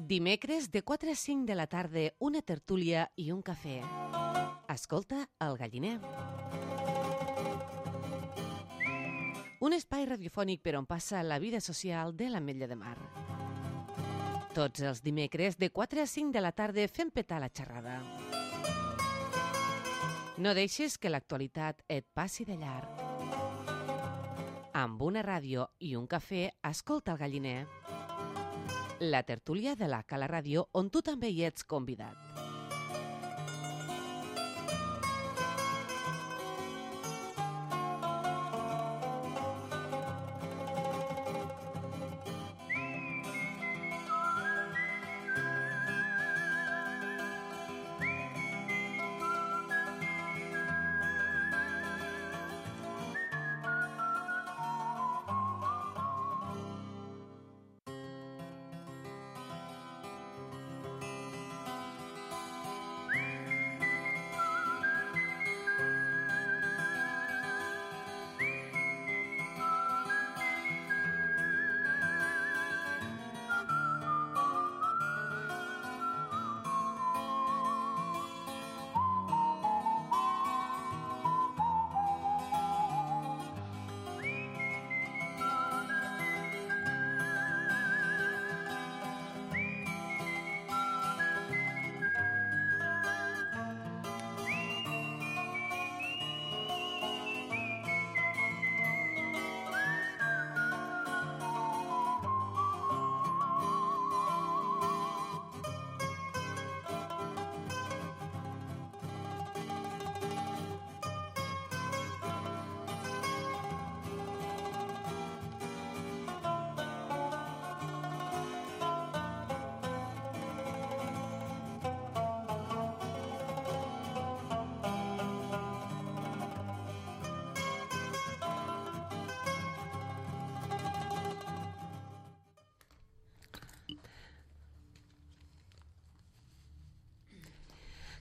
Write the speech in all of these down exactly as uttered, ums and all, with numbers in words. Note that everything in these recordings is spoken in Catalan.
Dimecres de quatre a cinc de la tarda, una tertúlia i un cafè. Escolta El Galliner. Un espai radiofònic per on passa la vida social de l'Ametlla de Mar. Tots els dimecres de quatre a cinc de la tarda fem petar la xerrada. No deixes que l'actualitat et passi de llarg. Amb una ràdio i un cafè, escolta El Galliner. La tertúlia de la Cala Ràdio, on tu també hi ets convidat.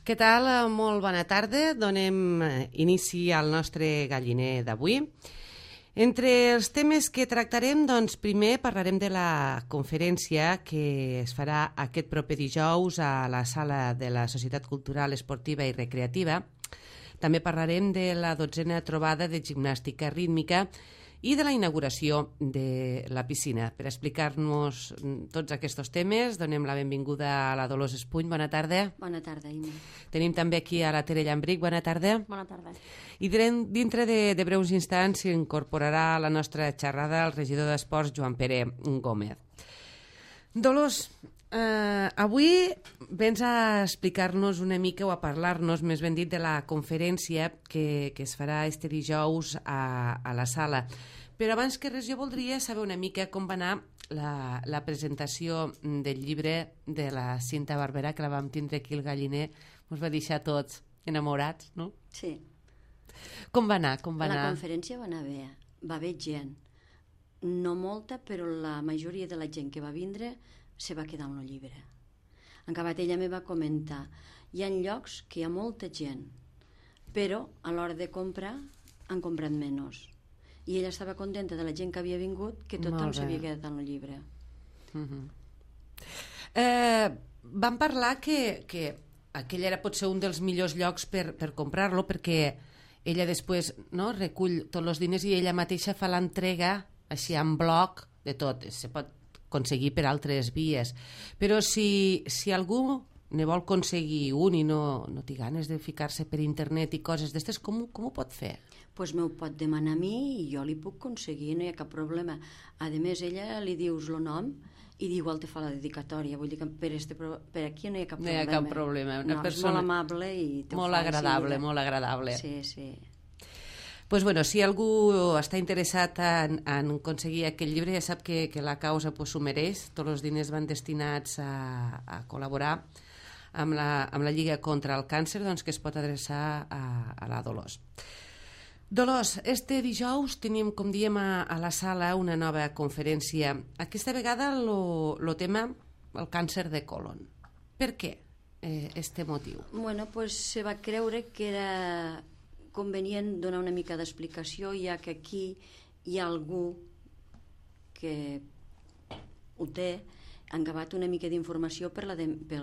Què tal? Molt bona tarda. Donem inici al nostre galliner d'avui. Entre els temes que tractarem, doncs, primer parlarem de la conferència que es farà aquest proper dijous a la sala de la Societat Cultural, Esportiva i Recreativa. També parlarem de la dotzena trobada de gimnàstica rítmica i de la inauguració de la piscina. Per explicar-nos tots aquests temes, donem la benvinguda a la Dolors Espuny. Bona tarda. Bona tarda, Imma. Tenim també aquí a la Tere Llambric. Bona tarda. Bona tarda. I dintre de, de breus instants s'incorporarà a la nostra xerrada el regidor d'Esports, Joan Pere Gómez. Dolors, eh, avui vens a explicar-nos una mica o a parlar-nos, més ben dit, de la conferència que, que es farà este dijous a, a la sala. Però abans que res jo voldria saber una mica com va anar la, la presentació del llibre de la Cinta Barberà, que la vam tindre aquí al Galliner. Ens va deixar tots enamorats, no? Sí. Com va anar? Com va la anar? conferència va anar bé. Va haver gent. No molta, però la majoria de la gent que va vindre se va quedar amb el llibre. En acabat ella me va comentar, hi ha llocs que hi ha molta gent, però a l'hora de comprar han comprat menys. I ella estava contenta de la gent que havia vingut, que tothom s'havia quedat amb el llibre. Uh-huh. eh, vam parlar que, que aquell era potser un dels millors llocs per, per comprar-lo, perquè ella després, no, recull tots els diners i ella mateixa fa l'entrega així en bloc de tot. Se pot aconseguir per altres vies. Però si, si algú ne vol aconseguir un i no, no té ganes de ficar-se per internet i coses d'estes, com, com ho pot fer? Doncs pues m'ho pot demanar a mi i jo li puc aconseguir, no hi ha cap problema. A més, ella li dius el nom i igual te fa la dedicatòria. Vull dir que per, este, per aquí no hi ha cap problema. No hi ha cap problema. Una no, persona... és molt amable i molt agradable, molt agradable. Sí, sí. Pues bueno, si algú està interessat en, en aconseguir aquest llibre, ja sap que, que la causa pues, s'ho mereix. Tots els diners van destinats a, a col·laborar amb la, amb la Lliga contra el Càncer, doncs, que es pot adreçar a, a la Dolors. Dolors, este dijous tenim, com diem, a, a la sala una nova conferència. Aquesta vegada el tema, el càncer de colon. Per què eh, este motiu? Bueno, pues se va creure que era convenient donar una mica d'explicació, ja que aquí hi ha algú que ho té, han acabat una mica d'informació per la, de, per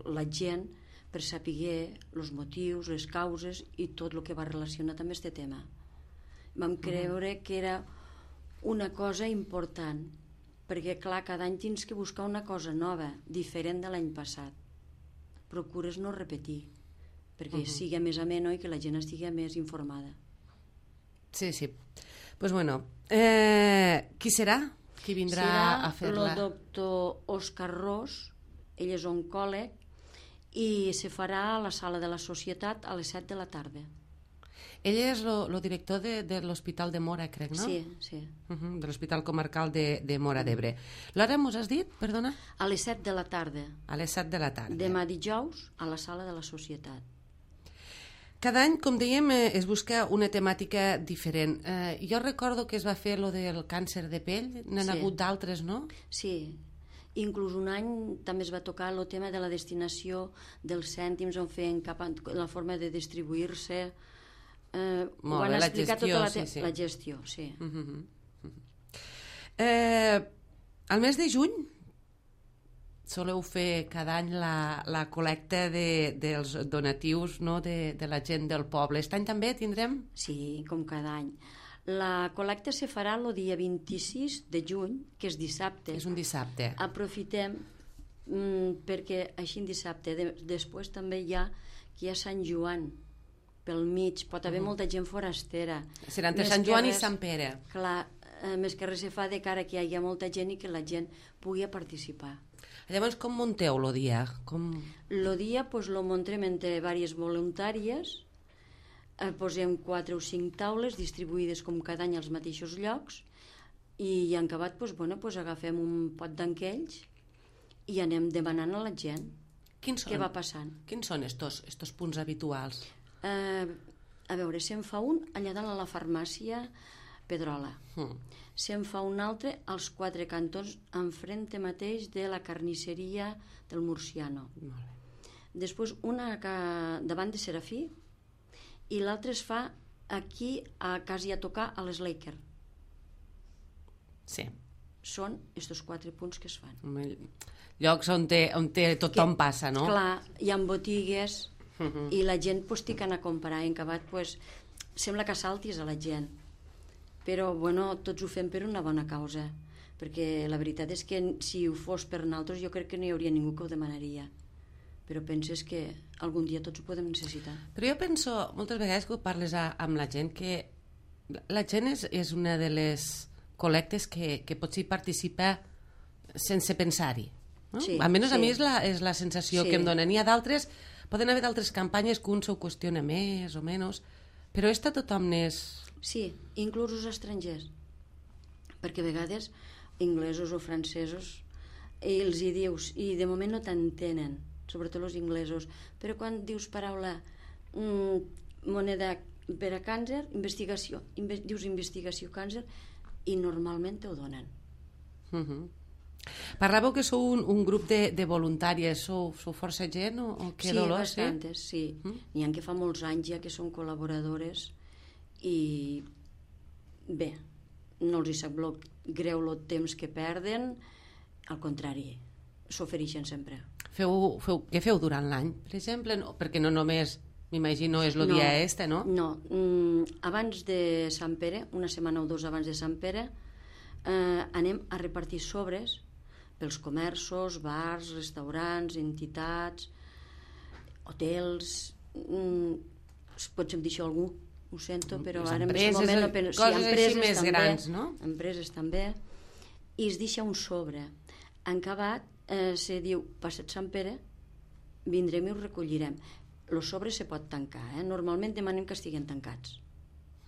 la gent, per saber els motius, les causes i tot el que va relacionat amb aquest tema. Vam creure que era una cosa important, perquè clar, cada any tens que buscar una cosa nova, diferent de l'any passat. Procures no repetir, perquè uh -huh. sigui més ameno i que la gent estigui més informada. Sí, sí. Doncs pues bueno, eh, qui serà? Qui vindrà serà a fer-la? El doctor Òscar Ros, ell és oncòleg, i se farà a la sala de la Societat a les set de la tarda. Ell és el director de, de l'Hospital de Móra, crec, no? Sí, sí. Uh -huh, de l'Hospital Comarcal de, de Móra d'Ebre. L'hora mos has dit, perdona? A les set de la tarda. A les set de la tarda. Demà dijous a la sala de la Societat. Cada any, com dèiem, eh, es busca una temàtica diferent. Eh, jo recordo que es va fer lo del càncer de pell, n'han Sí. hagut d'altres, no? Sí, inclús un any també es va tocar el tema de la destinació dels cèntims, on feien cap a la forma de distribuir-se. Eh, ho Molt van bé, la explicar gestió, tota la, sí, sí. la gestió, sí. Uh -huh, uh -huh. Eh, al mes de juny soleu fer cada any la, la col·lecta de, dels donatius, no?, de, de la gent del poble. Aquest any també tindrem? Sí, com cada any. La col·lecta se farà el dia vint-i-sis de juny, que és dissabte. És un dissabte. Aprofitem mm, perquè així en dissabte. De, després també hi ha, que hi ha Sant Joan pel mig, pot haver uh -huh. molta gent forastera. Serà entre Més Sant Joan res, i Sant Pere. Clar, eh, més que res se fa de cara que hi hagi molta gent i que la gent pugui participar. Llavors, com munteu el dia? Com... El dia pues, lo muntem entre diverses voluntàries, eh, posem quatre o cinc taules distribuïdes com cada any als mateixos llocs i en acabat pues, bueno, pues, agafem un pot d'enquells i anem demanant a la gent Quins són? què va passant. Quins són estos, estos punts habituals? Eh, a veure, se'n fa un allà dalt a la farmàcia Pedrola. Hmm. Se'n fa un altre als quatre cantons enfrente mateix de la carnisseria del Murciano. Molt bé. Després una que, davant de Serafí i l'altre es fa aquí a quasi a tocar a les Laker. Sí. Són estos quatre punts que es fan. Llocs on, té, on té tothom que, passa, no? Clar, hi ha botigues uh -huh. i la gent pues, té que anar a comprar i en acabat pues, sembla que saltis a la gent, però bueno, tots ho fem per una bona causa, perquè la veritat és que si ho fos per nosaltres jo crec que no hi hauria ningú que ho demanaria, però penses que algun dia tots ho podem necessitar. Però jo penso, moltes vegades que ho parles a, amb la gent, que la gent és, és una de les col·lectes que, que potser hi participa sense pensar-hi. No? Sí, Almenys sí. a mi és la, és la sensació Sí. que em donen. N'hi ha d'altres, poden haver d'altres campanyes que un s'ho qüestiona més o menys, però esta tothom n'és... Sí, inclús els estrangers, perquè a vegades inglesos o francesos i els hi dius i de moment no t'entenen, sobretot els inglesos, però quan dius paraula mm, moneda per a càncer, investigació, inve dius investigació càncer i normalment t'ho donen. Uh -huh. Parlàveu que sou un, un grup de, de voluntàries, sou, sou força gent o, o què Sí, dolor? bastantes, sí. Mm? N'hi ha que fa molts anys ja que són col·laboradores i bé, no els hi sap lo, greu el temps que perden, al contrari, s'ofereixen sempre. Feu, feu, què feu durant l'any, per exemple? No, perquè no només, m'imagino, és el No, dia este, no? No, mm, abans de Sant Pere, una setmana o dos abans de Sant Pere, eh, anem a repartir sobres pels comerços, bars, restaurants, entitats, hotels, mm, potser em deixo algú, ho sento, però Les ara empreses, en aquest moment no penso. coses Sí, així empreses més també, grans, no? Empreses també, i es deixa un sobre. En acabat, eh, se diu, passat Sant Pere, vindrem i ho recollirem. El sobre se pot tancar, eh? Normalment demanem que estiguin tancats.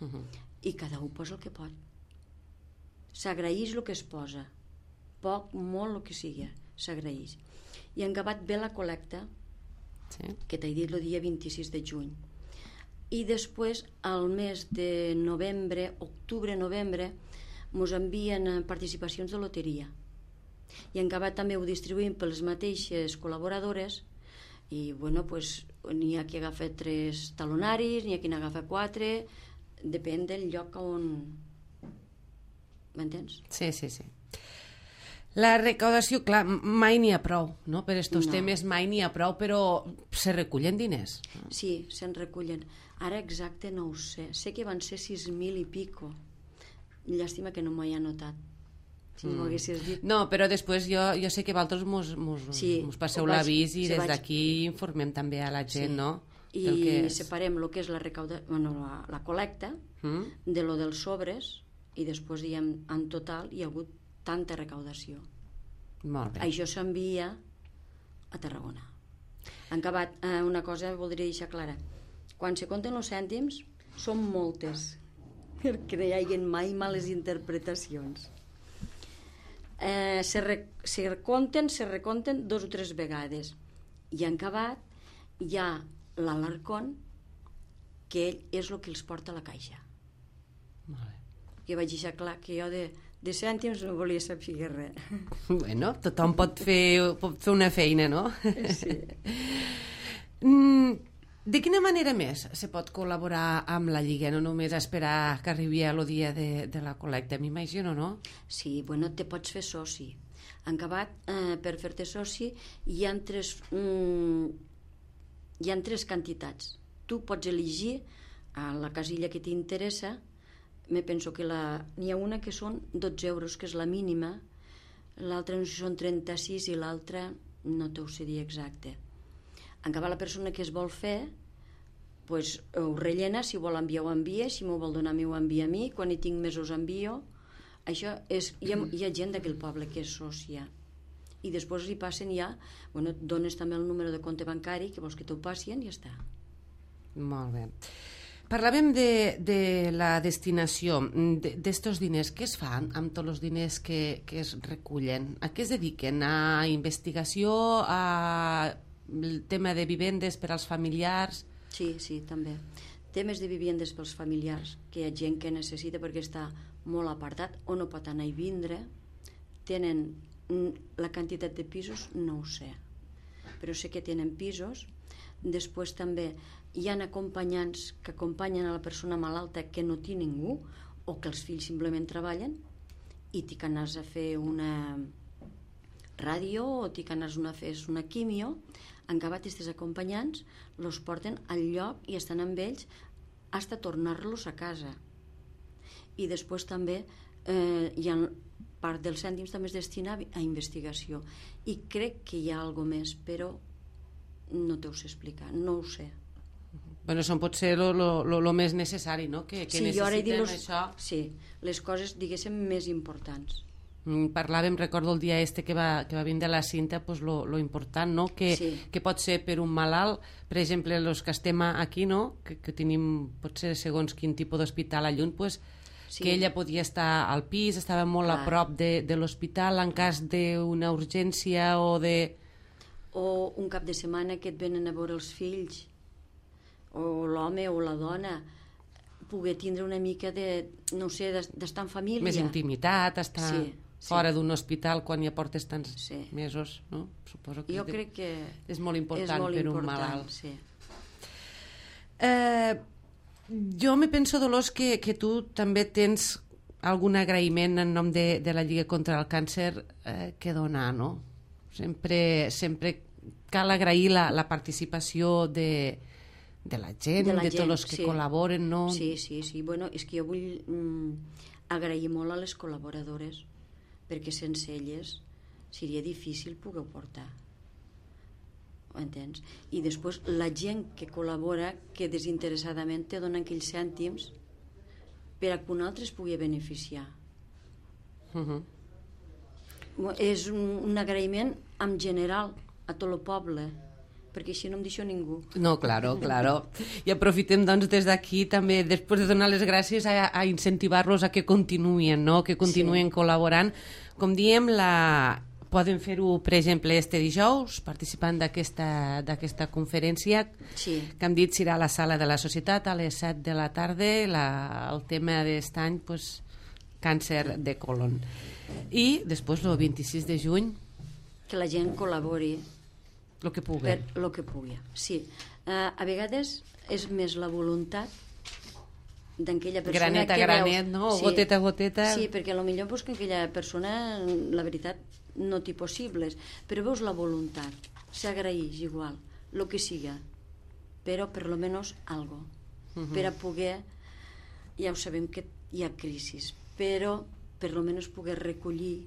Uh -huh. I cada un posa el que pot. S'agraeix el que es posa. Poc, molt, el que sigui, s'agraeix. I en acabat ve la col·lecta, Sí. que t'he dit el dia vint-i-sis de juny. I després, al mes de novembre, octubre-novembre, ens envien participacions de loteria. I en acabat també ho distribuïm per les mateixes col·laboradores i, bueno, pues, n'hi ha qui agafa tres talonaris, n'hi ha qui n'agafa quatre, depèn del lloc on... M'entens? Sí, sí, sí. La recaudació, clar, mai n'hi ha prou, no? Per estos No. temes mai n'hi ha prou, però se recullen diners. Sí, se'n recullen. Ara exacte no ho sé. Sé que van ser sis mil i pico. Llàstima que no m'ho he anotat. Si m'ho haguessis dit... No, però després jo, jo sé que vosaltres mos, mos, Sí, mos passeu ho vaig- l'avís i se des vaig- d'aquí informem també a la gent, Sí. no? I Del que és. separem el que és la, recauda... bueno, la, la col·lecta Mm? de lo dels sobres i després diem en total hi ha hagut tanta recaudació. Molt bé. Això s'envia a Tarragona. En acabat, eh, una cosa voldria deixar clara. Quan se compten els cèntims, són moltes, perquè no hi hagi mai males interpretacions. Eh, se, re, se recompten, se recompten dos o tres vegades. I en acabat hi ha l'Alarcón, que ell és el que els porta a la caixa. Molt bé. Que vaig deixar clar que jo de, de cèntims no volia saber res. Bueno, tothom pot fer, pot fer una feina, no? Sí. Mm, de quina manera més se pot col·laborar amb la Lliga, no només esperar que arribi el dia de, de la col·lecta, m'imagino, no? Sí, bueno, te pots fer soci. En acabat, eh, per fer-te soci, hi ha tres, mm, hi ha tres quantitats. Tu pots elegir a la casilla que t'interessa. Me penso que la, n'hi ha una que són dotze euros, que és la mínima, l'altra no sé si són trenta-sis i l'altra no t'ho sé dir exacte. En acabat, la persona que es vol fer, pues, ho rellena, si vol enviar ho envia, si m'ho vol donar a mi ho envia a mi, quan hi tinc més us envio. Això és, hi ha, hi ha gent d'aquell poble que és sòcia. I després hi passen ja, bueno, dones també el número de compte bancari, que vols que t'ho passin i ja està. Molt bé. Parlàvem de, de la destinació d'estos diners. Què es fan amb tots els diners que, que es recullen? A què es dediquen? A investigació? A el tema de vivendes per als familiars? Sí, sí, també. Temes de vivendes pels familiars, que hi ha gent que necessita perquè està molt apartat o no pot anar i vindre. Tenen la quantitat de pisos, no ho sé, però sé que tenen pisos. Després també hi ha acompanyants que acompanyen a la persona malalta que no té ningú o que els fills simplement treballen i t'hi que anar a fer una ràdio o t'hi que anar a fer una quimio. En acabat, aquests acompanyants els porten al lloc i estan amb ells fins a tornar-los a casa. I després també eh, hi ha part dels cèntims també es destina a investigació. I crec que hi ha alguna més, però no t'ho sé explicar, no ho sé. Bueno, això pot ser el més necessari, no? Que, que sí, jo ara he dit necessiten los, això. sí, les coses, diguéssim, més importants. Mm, Parlàvem, recordo el dia este que va, que va vindre la Cinta, pues lo, lo important, no? Que, Sí. que pot ser per un malalt, per exemple, els que estem aquí, no? Que, que tenim, potser segons quin tipus d'hospital a lluny, pues, Sí. que ella podia estar al pis, estava molt Clar. a prop de, de l'hospital en cas d'una urgència o de... O un cap de setmana que et venen a veure els fills, o l'home o la dona, poder tindre una mica de, no sé, d'estar en família. Més intimitat, estar Sí, sí. fora d'un hospital quan ja portes tants Sí. mesos, no? Suposo que Jo és de- crec que és molt important és molt per un important, malalt. sí. Eh, jo me penso, Dolors, que, que tu també tens algun agraïment en nom de, de la Lliga contra el Càncer eh, que donar, no? Sempre, sempre cal agrair la, la participació de, de la gent, De de, la de gent, tots els que sí. col·laboren, no? Sí, sí, sí. Bueno, és que jo vull mm, agrair molt a les col·laboradores, perquè sense elles seria difícil poder portar. Ho entens? I després la gent que col·labora, que desinteressadament te donen aquells cèntims per a que un altre es pugui beneficiar. Uh -huh. És un, un agraïment en general a tot el poble, perquè així no em deixo ningú. No, claro, claro. I aprofitem, doncs, des d'aquí també, després de donar les gràcies, a, a incentivar-los a que continuïn, no? Que continuïn Sí. col·laborant. Com diem, la... poden fer-ho, per exemple, este dijous, participant d'aquesta d'aquesta conferència, Sí. que hem dit serà a la sala de la Societat a les set de la tarda, la, el tema d'aquest any, pues, càncer de colon. I després, el vint-i-sis de juny, Que la gent col·labori el que pugui. per lo que pugui. Sí. Uh, a vegades és més la voluntat d'aquella persona Granet a que granet, veus. no? Goteta a goteta. Sí, perquè potser pues, que aquella persona, la veritat, no t'hi possibles, però veus la voluntat, s'agraeix igual, el que siga, però per lo menos algo, uh-huh. per a poder, ja ho sabem que hi ha crisis, però per lo menos poder recollir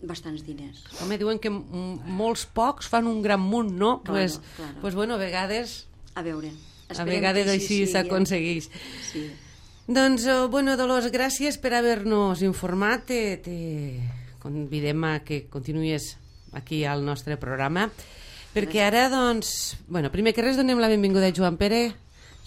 bastants diners. Home, diuen que molts pocs fan un gran munt, no? Doncs, Claro, pues, claro. pues bueno, a vegades... A veure, A vegades així s'aconsegueix. Sí. Doncs, oh, bueno, Dolors, gràcies per haver-nos informat. Te, te convidem a que continuïs aquí al nostre programa, perquè ara, doncs, bueno, primer que res donem la benvinguda a Joan Pere.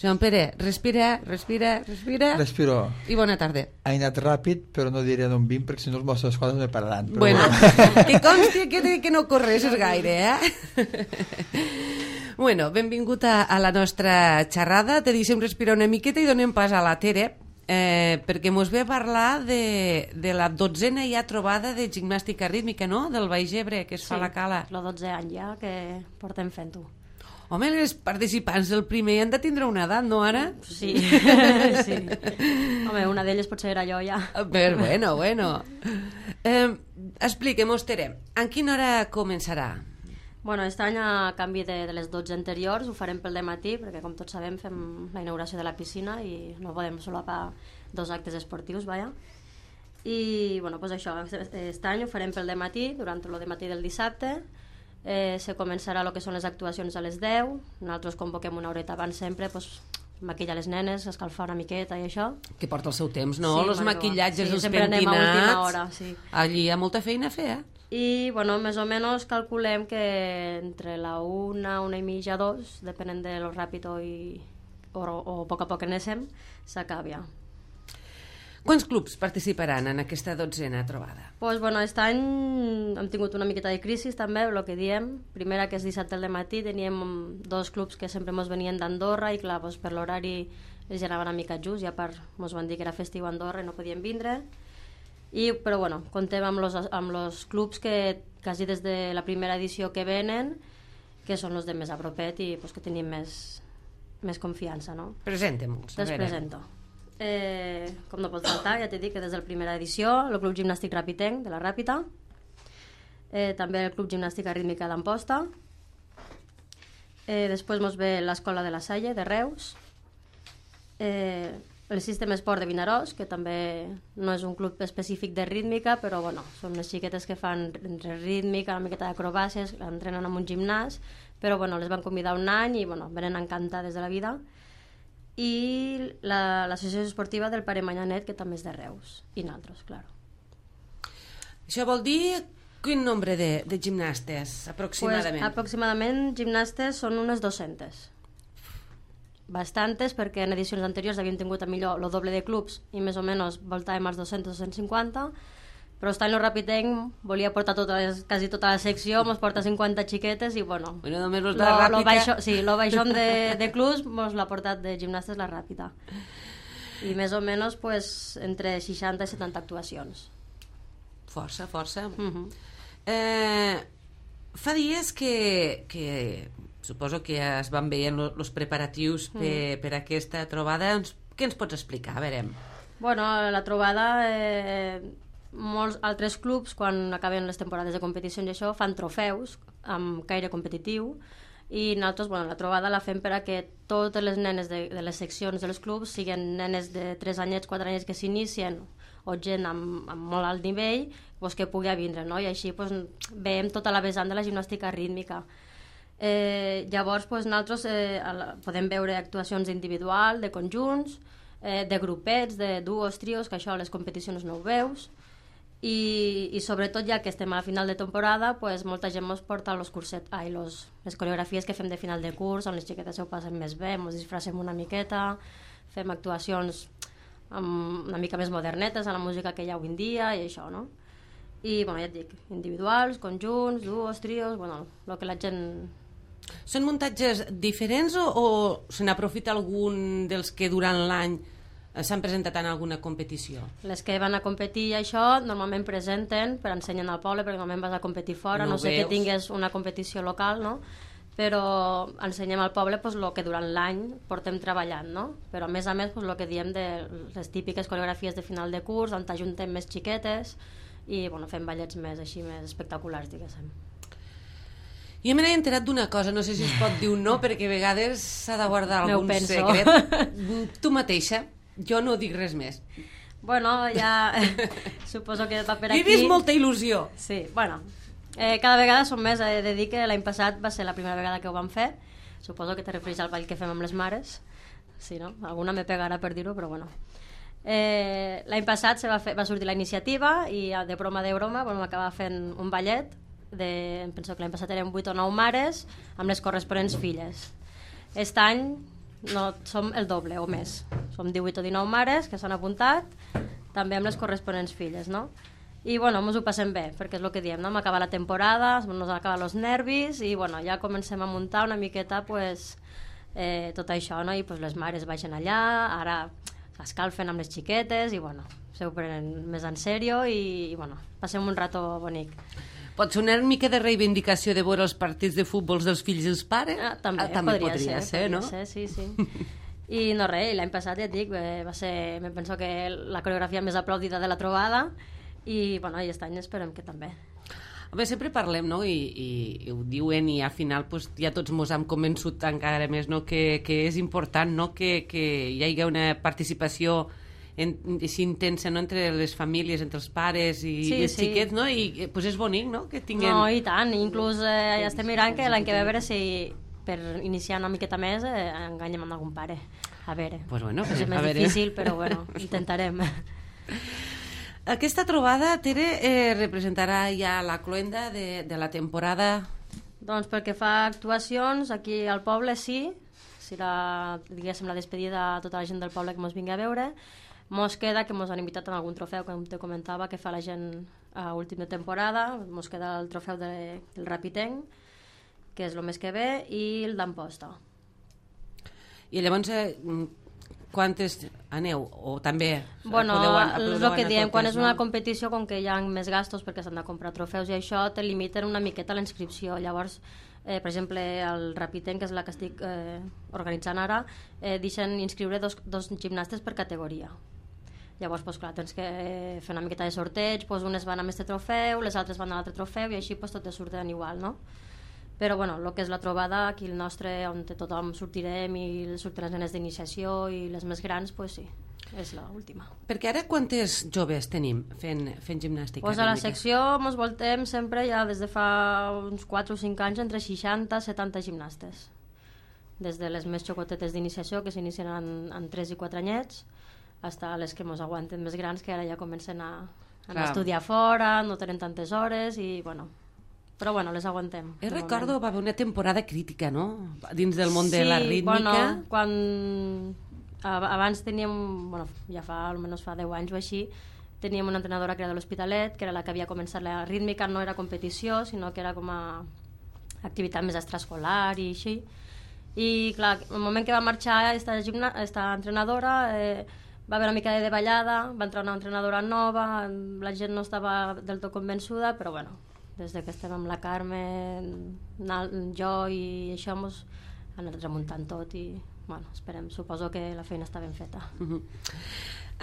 Joan Pere, respira, respira, respira. Respiro. I bona tarda. Ha anat ràpid, però no diré d'on vinc, perquè si no els Mossos d'Esquadra no me pararan. Però Bueno, bueno. que consti que, que no corresses gaire, eh? Bueno, benvingut a, a la nostra xerrada. Te deixem respirar una miqueta i donem pas a la Tere, eh, perquè mos ve a parlar de, de la dotzena ja trobada de gimnàstica rítmica, no?, del Baix Ebre, que es Sí, fa a la Cala. el dotze any ja que portem fent-ho. Home, els participants del primer han de tindre una edat, no, ara? Sí, sí. Home, una d'elles potser era jo ja. Però bueno, bueno. Eh, Expliquem-nos, Tere, en quina hora començarà? Bueno, aquest any, a canvi de, de les dotze anteriors, ho farem pel dematí, perquè com tots sabem fem la inauguració de la piscina i no podem solapar dos actes esportius, vaja. I, bueno, doncs això, aquest any ho farem pel dematí, durant el dematí del dissabte. Eh, se començarà el que són les actuacions a les deu. Nosaltres convoquem una horeta abans sempre, doncs, maquillar les nenes, escalfar una miqueta i això. Que porta el seu temps, no? Sí, Els perquè, maquillatges, sí, els sempre anem a pentinats... última hora, sí. Allí hi ha molta feina a fer, eh? I, bueno, més o menys calculem que entre la una, una i mitja, dos, depenent de lo ràpid o, i, o, o a poc a poc anéssim, s'acaba ja. Quants clubs participaran en aquesta dotzena trobada? Pues, bueno, aquest any hem tingut una miqueta de crisi també, el que diem. Primera, que és dissabte al matí, teníem dos clubs que sempre ens venien d'Andorra i, clar, pues, per l'horari els anava una mica just, i a part ens van dir que era festiu a Andorra i no podien vindre. I, però, bueno, contem amb los, amb los clubs que quasi des de la primera edició que venen, que són els de més a propet i pues, que tenim més, més confiança, no? Presenta'm-los, a Te'ls veure. presento. Eh, com no pot faltar, ja t'he dit que des de la primera edició el Club Gimnàstic Ràpitenc de la Ràpita, eh, també el Club Gimnàstica Rítmica d'Amposta, eh, després mos ve l'Escola de la Salle de Reus, eh, el Sistema Esport de Vinaròs, que també no és un club específic de rítmica, però bueno, són unes xiquetes que fan entre rítmica, una miqueta d'acrobàcies, entrenen en un gimnàs, però bueno, les van convidar un any i bueno, venen encantades de la vida. I l'associació la, esportiva del Pare Manyanet, que també és de Reus, i naltros, clar. Això vol dir quin nombre de, de gimnastes, aproximadament? Pues, aproximadament, gimnastes són unes dues-centes. Bastantes, perquè en edicions anteriors havíem tingut a millor el doble de clubs i més o menys voltàvem als dos-cents a dos-cents cinquanta, però està en el Ràpitenc, volia portar tota les, quasi tota la secció, mos porta cinquanta xiquetes i bueno, bueno només los lo, de la lo Ràpita... baixo, sí, lo baixón de, de clubs mos l'ha portat de gimnastes la Ràpita. I més o menys pues, entre seixanta i setanta actuacions. Força, força. Uh -huh. eh, fa dies que, que suposo que es van veient els preparatius per, uh -huh. per aquesta trobada. Què ens pots explicar? A veure. Bueno, la trobada... Eh, molts altres clubs, quan acaben les temporades de competicions i això, fan trofeus amb caire competitiu i nosaltres, bueno, la trobada la fem per a que totes les nenes de, de les seccions dels clubs siguin nenes de tres anyets, quatre anyets que s'inicien o gent amb, amb molt alt nivell pues, que pugui vindre, no? I així pues, veiem tota la vessant de la gimnàstica rítmica. Eh, llavors pues, nosaltres eh, podem veure actuacions individuals, de conjunts, eh, de grupets, de duos, trios, que això a les competicions no ho veus. I, i sobretot ja que estem a la final de temporada pues, molta gent ens porta los curset, ai, los, les coreografies que fem de final de curs on les xiquetes ho passen més bé, ens disfracem una miqueta, fem actuacions amb una mica més modernetes a la música que hi ha avui en dia i això, no? I bueno, ja et dic, individuals, conjunts, duos, trios, bueno, el que la gent... Són muntatges diferents o, o se n'aprofita algun dels que durant l'any s'han presentat en alguna competició? Les que van a competir i això normalment presenten per ensenyar al poble, perquè normalment vas a competir fora, no, no sé veus. Que tingués una competició local, no? Però ensenyem al poble pues, el que durant l'any portem treballant, no? Però a més a més pues, el que diem de les típiques coreografies de final de curs, on t'ajuntem més xiquetes i bueno, fem ballets més així, més espectaculars, diguéssim. Jo me n'he enterat d'una cosa, no sé si es pot dir un no, perquè a vegades s'ha de guardar M'ho algun penso. secret. Tu mateixa, jo no dic res més. Bueno, ja suposo que va per He aquí. vist molta il·lusió. Sí, bueno, eh, cada vegada som més. He de dir que l'any passat va ser la primera vegada que ho vam fer. Suposo que te refereix al ball que fem amb les mares. Sí, no? Alguna me pegarà per dir-ho, però bueno. Eh, l'any passat se va, fer, va sortir la iniciativa i de broma de broma vam acabar fent un ballet de, em penso que l'any passat eren vuit o nou mares amb les corresponents filles. Aquest any no, som el doble o més. Som divuit o dinou mares que s'han apuntat, també amb les corresponents filles, no? I bueno, ens ho passem bé, perquè és el que diem, no? M'acaba la temporada, ens acaben els nervis i bueno, ja comencem a muntar una miqueta pues, eh, tot això, no? I pues, les mares baixen allà, ara s'escalfen amb les xiquetes i bueno, se ho prenen més en sèrio i, i bueno, passem un rato bonic. Pot ser una mica de reivindicació de veure els partits de futbol dels fills i els pares? Ah, també, ah, també podria, podria ser, ser, podria no? ser, sí, sí. I no res, l'any passat ja et dic, va ser, me penso que la coreografia més aplaudida de la trobada i bueno, i aquest any esperem que també. Home, sempre parlem, no? I, i, i ho diuen i al final pues, ja tots mos hem convençut encara més, no? que, que és important, no? que, que hi hagi una participació en, així intensa, no? Entre les famílies, entre els pares i, Sí, i els sí. xiquets, no? I pues és bonic, no? Que tinguem... No, i tant, inclús eh, ja estem mirant que l'any que ve a veure si per iniciar una miqueta més eh, enganyem amb algun pare. A veure, Pues bueno, és a més veure. difícil, però bueno, intentarem. Aquesta trobada, Tere, eh, representarà ja la cloenda de, de la temporada. Doncs pel que fa a actuacions, aquí al poble sí, serà, diguéssim, la despedida a tota la gent del poble que mos vingui a veure. Mos queda que mos han invitat en algun trofeu, com te comentava, que fa la gent a última temporada. Mos queda el trofeu de, del Rapitenc, que és el mes que ve, i el d'Amposta. I llavors, eh, quantes aneu? O també Bueno, podeu an- és podeu el que anar diem, totes, quan és una no? competició, com que hi ha més gastos perquè s'han de comprar trofeus i això, te limiten una miqueta la inscripció. Llavors, eh, per exemple, el Rapitenc, que és la que estic eh, organitzant ara, eh, deixen inscriure dos, dos gimnastes per categoria. Llavors, pues, clar, tens que eh, fer una miqueta de sorteig, pues, unes van amb este trofeu, les altres van a l'altre trofeu, i així pues, tot te surten igual, no? Però, bueno, el que és la trobada, aquí el nostre, on tothom sortirem i surten les nenes d'iniciació i les més grans, pues sí, és l'última. Perquè ara quantes joves tenim fent, fent gimnàstica? Pues a la rítmica? secció ens voltem sempre, ja des de fa uns quatre o cinc anys, entre seixanta i setanta gimnastes. Des de les més xocotetes d'iniciació, que s'inicien en, en tres i quatre anyets, fins a les que ens aguanten més grans, que ara ja comencen a, a Clar. estudiar fora, no tenen tantes hores, i bueno... Però bueno, les aguantem. Jo de recordo, moment. va haver una temporada crítica, no? Dins del món de la rítmica. Bueno, quan a- abans teníem, bueno, ja fa almenys fa deu anys o així, teníem una entrenadora que era de l'Hospitalet, que era la que havia començat la rítmica, no era competició, sinó que era com a activitat més extraescolar i així. I clar, el moment que va marxar esta, gimna, esta entrenadora, eh, va haver una mica de davallada, va entrar una entrenadora nova, la gent no estava del tot convençuda, però bueno, des de que estem amb la Carmen, na- jo i això mos han anat remuntant tot i bueno, esperem, suposo que la feina està ben feta. Mhm.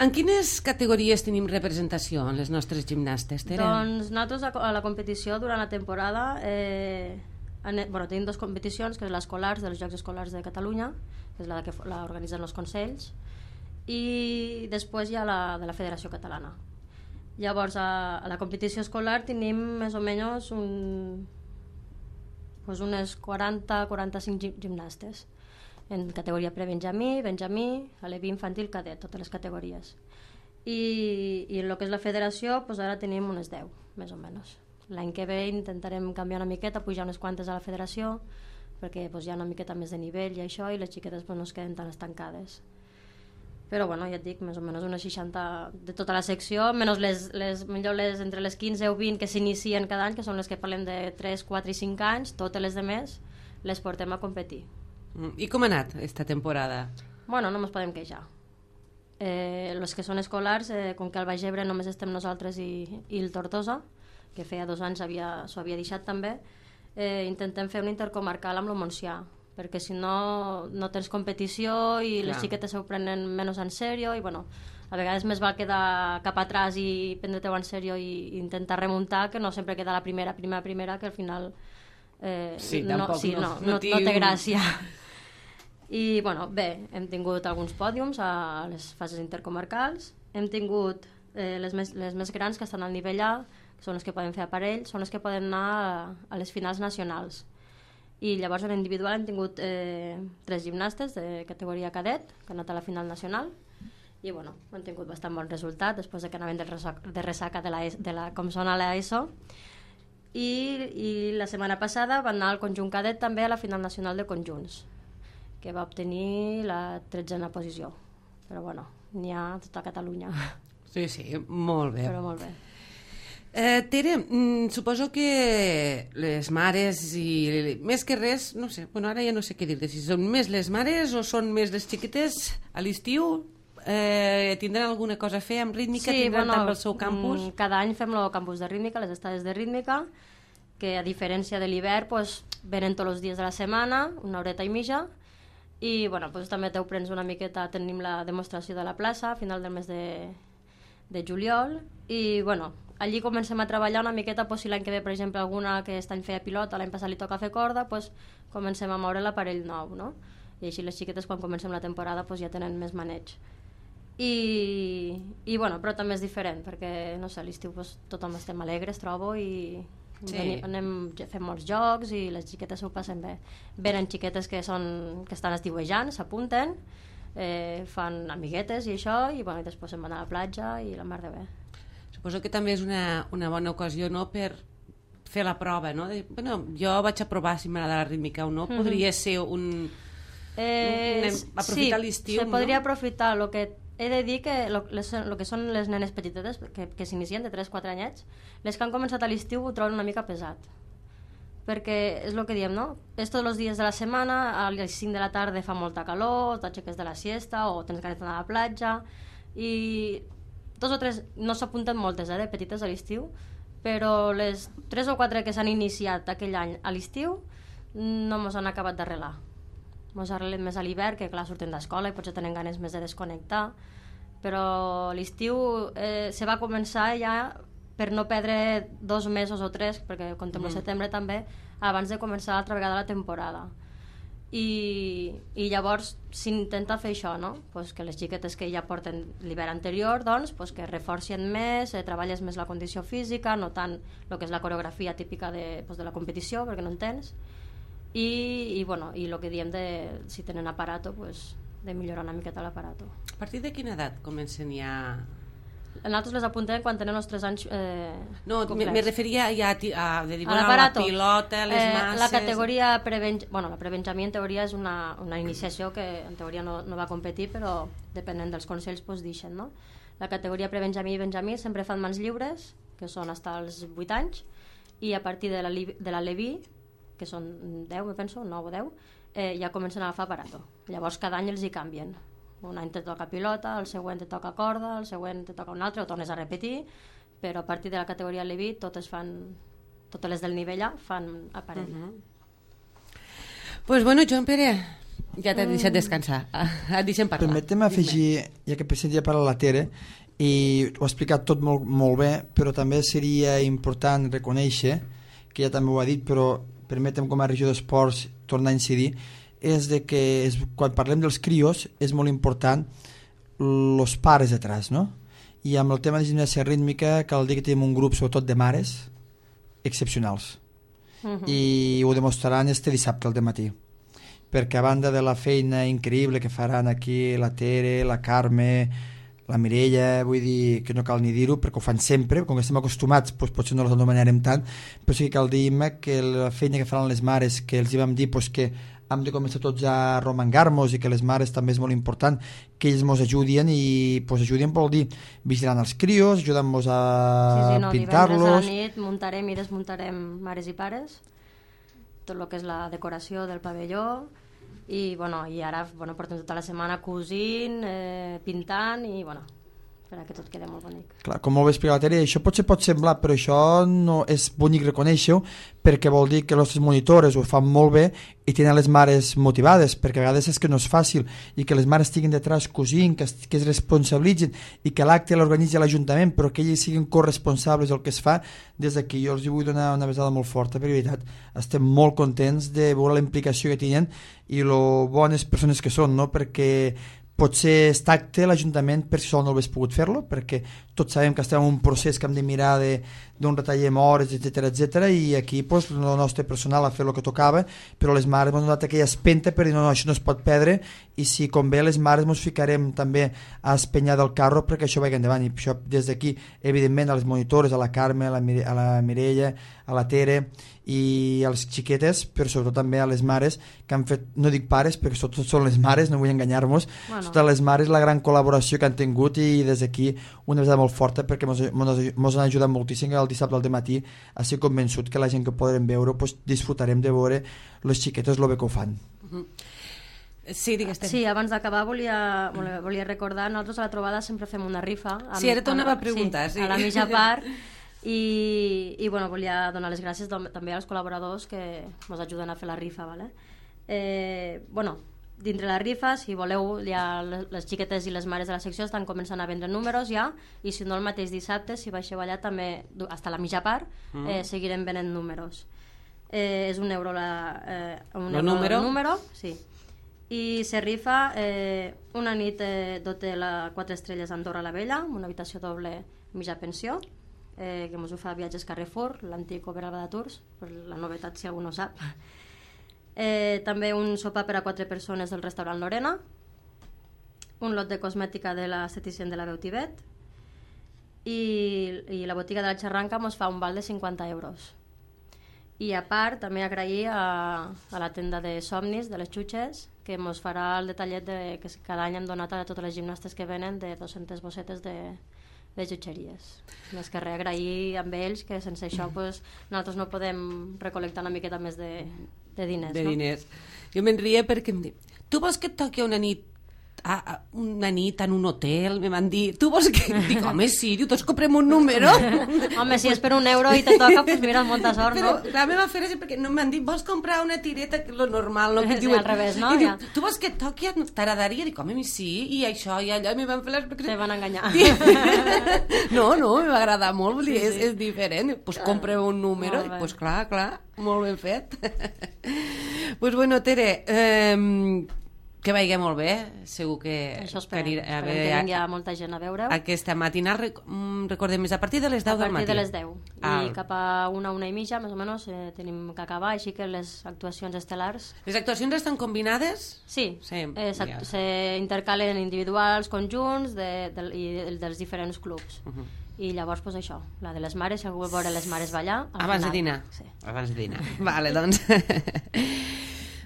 En quines categories tenim representació en les nostres gimnastes, Tere? Doncs nosaltres a, a la competició durant la temporada eh, ane- bueno, tenim dues competicions, que és l'escolars dels Jocs Escolars de Catalunya, que és la que f- la organitzen els consells, i després hi ha la de la Federació Catalana. Llavors, a, a la competició escolar tenim més o menys un, pues unes quaranta a quaranta-cinc gim- gimnastes en categoria pre-benjamí, benjamí, aleví, infantil, cadet, totes les categories. I, i en el que és la federació, pues ara tenim unes deu, més o menys. L'any que ve intentarem canviar una miqueta, pujar unes quantes a la federació, perquè pues, hi ha una miqueta més de nivell i això, i les xiquetes pues, no es queden tan estancades. Però bueno, ja et dic, més o menys unes seixanta de tota la secció, menys les, les, millor les, entre les quinze o vint que s'inicien cada any, que són les que parlem de tres, quatre i cinc anys, totes les de més les portem a competir. Mm, I com ha anat esta temporada? Bueno, no ens podem queixar. Eh, els que són escolars, eh, com que al Baix Ebre només estem nosaltres i, i el Tortosa, que feia dos anys havia, s'ho havia deixat també, eh, intentem fer un intercomarcal amb el Montsià, perquè si no no tens competició i les Clar. xiquetes s'ho prenen menys en sèrio i bueno, a vegades més val quedar cap atrás i prendre-t'ho en sèrio i intentar remuntar que no sempre queda la primera, primera, primera, que al final eh, Sí, no, tampoc sí, no- no, no no, té no té un- gràcia. I bueno, bé, hem tingut alguns pòdiums a les fases intercomarcals, hem tingut eh, les, més, les més grans que estan al nivell A, que són les que poden fer aparell, són les que poden anar a, a les finals nacionals. I llavors en individual hem tingut eh, tres gimnastes de categoria cadet que han anat a la final nacional i bueno, han tingut bastant bon resultat després de que anaven de ressaca de, ressaca de, la, E S- de la, com són a l'ESO I, i la setmana passada van anar al conjunt cadet també a la final nacional de conjunts que va obtenir la tretzena posició, però bueno, n'hi ha a tota Catalunya. Sí, sí, molt bé. Però molt bé. Eh, Tere, mm, suposo que les mares i més que res, no sé, bueno, ara ja no sé què dir-te, si són més les mares o són més les xiquetes a l'estiu, eh, tindran alguna cosa a fer amb rítmica, tindran també el seu campus? mm, Cada any fem el campus de rítmica, les estades de rítmica, que a diferència de l'hivern pues, venen tots els dies de la setmana, una horeta i mitja, i bueno, pues, també t'ho prens una miqueta, tenim la demostració de la plaça a final del mes de, de juliol, i bueno, allí comencem a treballar una miqueta, pues, si l'any que ve, per exemple, alguna que aquest any feia pilota, l'any passat li toca fer corda, pues, comencem a moure l'aparell nou, no? I així les xiquetes, quan comencem la temporada, pues, ja tenen més maneig. I, i bueno, però també és diferent, perquè, no sé, a l'estiu pues, tothom estem alegres, trobo, i Sí. veni, anem fent molts jocs i les xiquetes s'ho passen bé. Venen xiquetes que, són, que estan estiuejant, s'apunten, eh, fan amiguetes i això, i, bueno, i després se'n van a la platja i la mar de bé. Suposo que també és una, una bona ocasió, no?, per fer la prova, no? De, bueno, jo vaig a provar si m'agrada la rítmica o no. Mhm. Podria ser un... Eh, Anem a aprofitar sí, l'estiu, se podria no? aprofitar. Lo que he de dir que lo, les, lo que són les nenes petitetes que, que s'inicien de tres quatre anyets, les que han començat a l'estiu ho troben una mica pesat, perquè és el que diem, no? És tots els dies de la setmana, a les cinc de la tarda fa molta calor, t'aixeques de la siesta o tens ganes d'anar a la platja, i dos o tres, no s'apunten moltes, eh, de petites a l'estiu, però les tres o quatre que s'han iniciat aquell any a l'estiu no mos han acabat d'arrelar. Mos arrelen més a l'hivern, que clar, surten d'escola i potser tenen ganes més de desconnectar, però l'estiu eh, se va començar ja per no perdre dos mesos o tres, perquè contem el setembre també, abans de començar altra vegada la temporada. I, i llavors s'intenta fer això, no? Pues que les xiquetes que ja porten l'hivern anterior, doncs, pues que reforcien més, eh, treballes més la condició física, no tant el que és la coreografia típica de, pues, de la competició, perquè no en tens, i, i, bueno, i el que diem de, si tenen aparato, pues, de millorar una miqueta l'aparato. A partir de quina edat comencen ja... Nosaltres les apuntem quan tenen els tres anys eh, No, me, complets. me referia ja a, ti- a, de dir, A bueno, a la l'aparato. pilota, les Eh, masses... La categoria prebenj... bueno, la prebenjamí en teoria és una, una iniciació que en teoria no, no va competir, però depenent dels consells pues, deixen, no? La categoria prebenjamí i benjamí sempre fan mans lliures, que són fins als vuit anys, i a partir de la, li- de la Leví, que són deu, me penso, nou o deu, eh, ja comencen a agafar aparato. Llavors cada any els hi canvien. Un any te toca pilota, el següent te toca corda, el següent te toca un altre, o tornes a repetir, però a partir de la categoria Leví totes fan, totes les del nivell A fan aparell. Uh -huh. Pues bueno, Joan Pere, ja t'he deixat descansar. Et deixem parlar. Permetem afegir, ja que per ja parla la Tere, i ho ha explicat tot molt, molt bé, però també seria important reconèixer, que ja també ho ha dit, però permetem com a regió d'esports tornar a incidir, és de que és, quan parlem dels crios és molt important els pares detrás, no? I amb el tema de gimnàsia rítmica cal dir que tenim un grup sobretot de mares excepcionals. Uh-huh. I ho demostraran este dissabte al dematí, perquè a banda de la feina increïble que faran aquí la Tere, la Carme, la Mireia, vull dir que no cal ni dir-ho perquè ho fan sempre, com que estem acostumats doncs potser no les anomenarem tant, però sí que cal dir que la feina que faran les mares, que els hi vam dir doncs, que hem de començar tots a romangar-nos i que les mares també és molt important que ells ens ajudin i pues, ajudin vol dir vigilant els crios, ajudant-nos a sí, sí, no, pintar-los. divendres a la nit muntarem i desmuntarem mares i pares, tot el que és la decoració del pavelló, i, bueno, i ara bueno, portem tota la setmana cosint, eh, pintant i bueno, per a que tot quedi molt bonic. Clar, com molt bé explica la Tere, això potser pot semblar, però això no és bonic reconèixer-ho, perquè vol dir que les nostres monitores ho fan molt bé i tenen les mares motivades, perquè a vegades és que no és fàcil, i que les mares estiguin detrás cosint, que, es, que es responsabilitzin, i que l'acte l'organitzi l'Ajuntament, però que elles siguin corresponsables del que es fa. Des d'aquí jo els vull donar una besada molt forta, perquè de veritat estem molt contents de veure la implicació que tenen i lo bones persones que són, no? Perquè potser és tacte l'Ajuntament per si sol no hagués pogut fer-lo, perquè tots sabem que estem en un procés que hem de mirar d'on retallem hores, etcètera, etcètera, i aquí pues, el nostre personal ha fet el que tocava, però les mares ens han donat aquella espenta per dir no, no, això no es pot perdre, i si convé les mares ens ficarem també a espenyar del carro perquè això vagi endavant, i això des d'aquí evidentment a les monitores, a la Carme, a la, Mire, a la Mireia, a la Tere i a les xiquetes, però sobretot també a les mares que han fet, no dic pares perquè sobretot són les mares, no vull enganyar-nos, bueno. Totes les mares la gran col·laboració que han tingut, i des d'aquí una vegada molt forta perquè ens han ajudat moltíssim el dissabte al matí a ser convençut que la gent que podrem veure pues, disfrutarem de veure les xiquetes el bé que ho fan. Uh-huh. Sí, digues. Sí, abans d'acabar volia, volia recordar, nosaltres a la trobada sempre fem una rifa. Amb, sí, ara t'anava a preguntar. Sí, sí. A la mitja part. I, i bueno, volia donar les gràcies també als col·laboradors que ens ajuden a fer la rifa, ¿vale? Eh, bueno, dintre la rifa, si voleu, ja les xiquetes i les mares de la secció estan començant a vendre números ja, i si no el mateix dissabte, si baixeu allà també, fins a la mitja part, mm. eh, seguirem venent números. Eh, és un euro la, eh, un euro número? El número, sí. I se rifa eh, una nit eh, d'hotel a quatre estrelles a Andorra la Vella, amb una habitació doble mitja pensió, eh, que ens ho fa Viatges Carrefour, l'antic Oberalba de Tours, per la novetat si algú no sap. Eh, també un sopar per a quatre persones del restaurant Lorena, un lot de cosmètica de l'esteticien de la Veu Tibet, i, i la botiga de la Xarranca ens fa un val de cinquanta euros. I a part també agrair a, a la tenda de somnis de les xutxes, que ens farà el detallet de, que cada any hem donat a totes les gimnastes que venen de dues-centes bossetes de, de jutxeries. Més que res, agrair amb ells que sense això pues, nosaltres no podem recol·lectar una miqueta més de, de diners. De no? diners. Jo me'n ria perquè em diu, tu vols que et toqui una nit a, a una nit en un hotel? Me van dir, tu vols que... Dic, home, sí, diu, tots comprem un número. Home, si és per un euro i te toca, pues mira, molta sort, però, no? la meva fera és perquè no m'han dit, vols comprar una tireta, que és lo normal, no? Que sí, diuen, al revés, no? I Ja. diu, tu vols que et toqui, t'agradaria? Dic, home, sí, i això, i allò, i me van fer les... Se van enganyar. No, no, me va agradar molt, vull dir, sí, sí. és, és diferent. Doncs pues compreu un número, doncs pues clar, clar, molt ben fet. Doncs pues bueno, Tere, eh, que vagi molt bé, segur que... Això esperem, que, esperem que vingui a molta gent a veure-ho. Aquesta matinal, rec recordem, és a partir de les deu del matí. A partir de les deu. Ah. I cap a una, una i mitja, més o menys, eh, tenim que acabar, així que les actuacions estel·lars... Les actuacions estan combinades? Sí, sí eh, ja. se intercalen individuals, conjunts de, de, i dels diferents clubs. Uh -huh. I llavors, pues, això, la de les mares, si algú vol veure les mares ballar... Abans final. de dinar? Sí. Abans de dinar. Vale, doncs...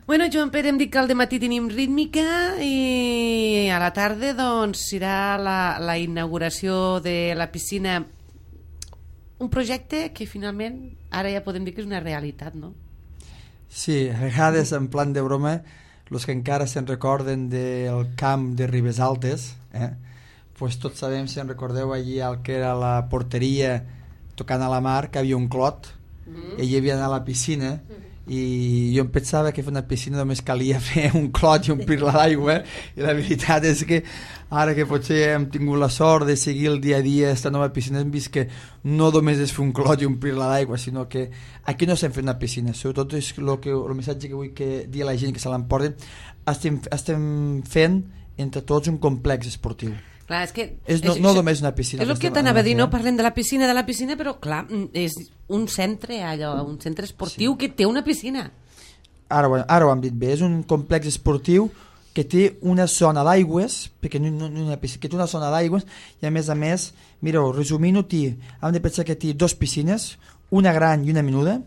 Bueno, Joan Pere, em dic que al dematí tenim rítmica i a la tarda doncs serà la, la inauguració de la piscina, un projecte que finalment ara ja podem dir que és una realitat, no? Sí, a vegades en plan de broma, els que encara se'n recorden del camp de Ribes Altes, eh? Pues tots sabem, si en recordeu allí el que era la porteria tocant a la mar, que havia un clot, mm-hmm. i hi havia anar a la piscina, mm-hmm. i jo em pensava que fer una piscina només calia fer un clot i omplir-la d'aigua, i la veritat és que ara que potser hem tingut la sort de seguir el dia a dia esta nova piscina, hem vist que no només és fer un clot i omplir-la d'aigua, sinó que aquí no estem fent una piscina, sobretot és el, que, el missatge que vull que dir a la gent que se l'emporten, estem, estem fent entre tots un complex esportiu. Clar, és que... És no, no només una piscina. És el que t'anava a dir, no? Parlem de la piscina, de la piscina, però clar, és un centre, allò, un centre esportiu sí. que té una piscina. Ara, bueno, ara ho hem dit bé, és un complex esportiu que té una zona d'aigües, perquè no, no, no una piscina, que té una zona d'aigües, i a més a més, mireu, resumint-ho, hem de pensar que té dos piscines, una gran i una menuda,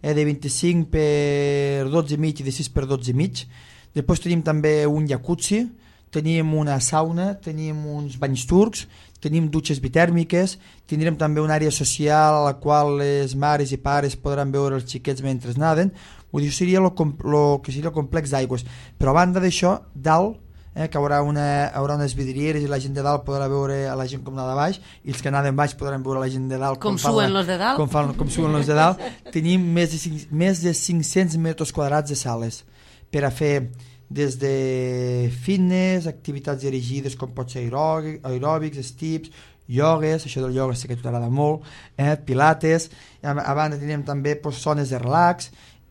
eh, de vint-i-cinc per dotze i mig i de sis per dotze i mig. Després tenim també un jacuzzi, tenim una sauna, tenim uns banys turcs, tenim dutxes bitèrmiques, tindrem també una àrea social a la qual les mares i pares podran veure els xiquets mentre naden. Vull dir, seria el que seria el complex d'aigües. Però a banda d'això, dalt eh, que haurà, una, haurà unes vidrieres i la gent de dalt podrà veure a la gent com anar de baix i els que anaven baix podran veure la gent de dalt com, com suen los de dalt, com, fan, com suen los de dalt. Tenim més de, cinc, més de cinc-cents metres quadrats de sales per a fer des de fitness, activitats dirigides com pot ser aeròbics, estips, iogues, això del ioga sé que t'agrada molt, eh, pilates, a, a banda tenim també pues, zones de relax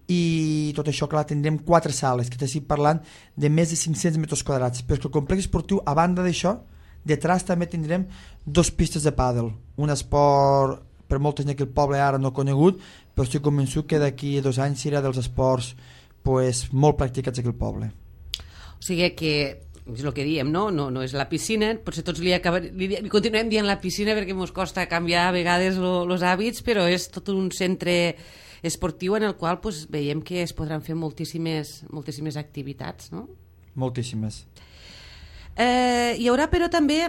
i tot això, clar, tindrem quatre sales que t'estic parlant de més de cinc-cents metres quadrats, però que el complex esportiu a banda d'això, detrás també tindrem dos pistes de pàdel, un esport per molta gent que el poble ara no ha conegut, però estic convençut que d'aquí a dos anys serà dels esports pues, molt practicats aquí al poble. O sigui que és el que diem, no? No, no és la piscina, potser tots li, acaba, li, li continuem dient la piscina perquè ens costa canviar a vegades els hàbits, però és tot un centre esportiu en el qual pues, veiem que es podran fer moltíssimes, moltíssimes activitats, no? Moltíssimes. Eh, hi haurà però també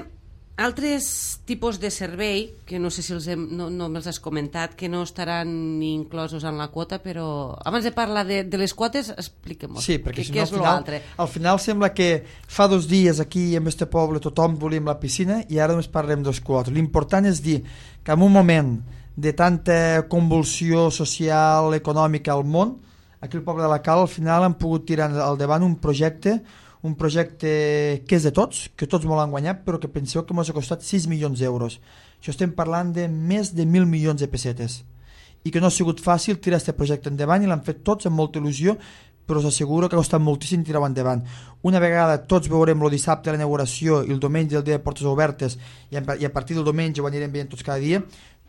altres tipus de servei, que no sé si els hem, no, no me'ls has comentat, que no estaran ni inclosos en la quota, però abans de parlar de, de les quotes, expliquem-ho. Sí, perquè que, si no, és al, final, al final sembla que fa dos dies aquí en este poble tothom volíem la piscina i ara només parlem dels quotes. L'important és dir que en un moment de tanta convulsió social, econòmica al món, aquí al poble de la Cal al final han pogut tirar al davant un projecte un projecte que és de tots, que tots molt han guanyat, però que penseu que ens ha costat sis milions d'euros. Això estem parlant de més de mil milions de pessetes. I que no ha sigut fàcil tirar aquest projecte endavant i l'han fet tots amb molta il·lusió, però us asseguro que ha costat moltíssim tirar-ho endavant. Una vegada tots veurem el dissabte la inauguració i el diumenge el dia de portes obertes i a partir del diumenge ho anirem veient tots cada dia,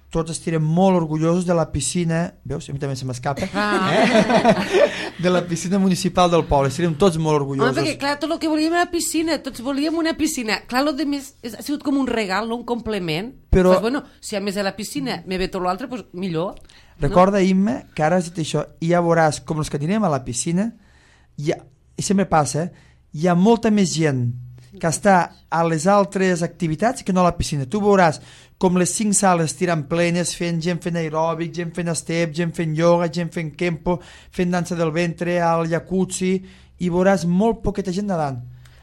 tots estirem molt orgullosos de la piscina, veus, a mi també se m'escapa, ah. eh? de la piscina municipal del poble, estirem tots molt orgullosos. Home, perquè clar, tot el que volíem era piscina, tots volíem una piscina, clar, el de més ha sigut com un regal, no un complement, però pues, bueno, si a més de la piscina me ve tot l'altre, pues, millor. Recorda, no? Imma, que ara has dit això, i ja veuràs com els que anirem a la piscina, ha, i sempre passa, eh? Hi ha molta més gent que està a les altres activitats que no a la piscina. Tu veuràs com les cinc sales tiren plenes, fent gent fent aeròbic, gent fent step, gent fent ioga, gent fent kempo, fent dansa del ventre, al jacuzzi, i veuràs molt poqueta gent nedant.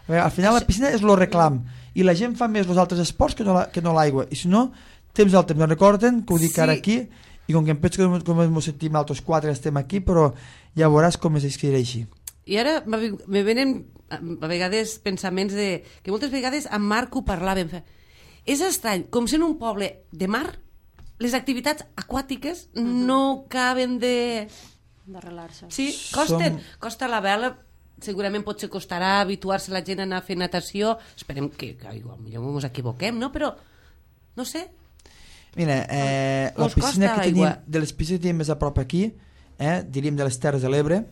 Veure, al final la piscina és el reclam, i la gent fa més els altres esports que no, la, que no l'aigua, i si no, temps al temps, no recorden que ho dic sí. Ara aquí, i com que em penso que com ens sentim altres quatre estem aquí, però ja veuràs com es escriurà així. I ara me venen a vegades pensaments de... que moltes vegades amb Marc ho parlàvem. És estrany, com sent un poble de mar, les activitats aquàtiques uh-huh. no caben de... d'arrelar-se. Sí, costen. Som... Costa la vela, segurament potser costarà habituar-se la gent a anar a fer natació. Esperem que, que igual, millor ens equivoquem, no? Però, no sé... Mira, eh, la piscina que tenim, de les piscines que tenim més a prop aquí, eh, diríem de les Terres de l'Ebre,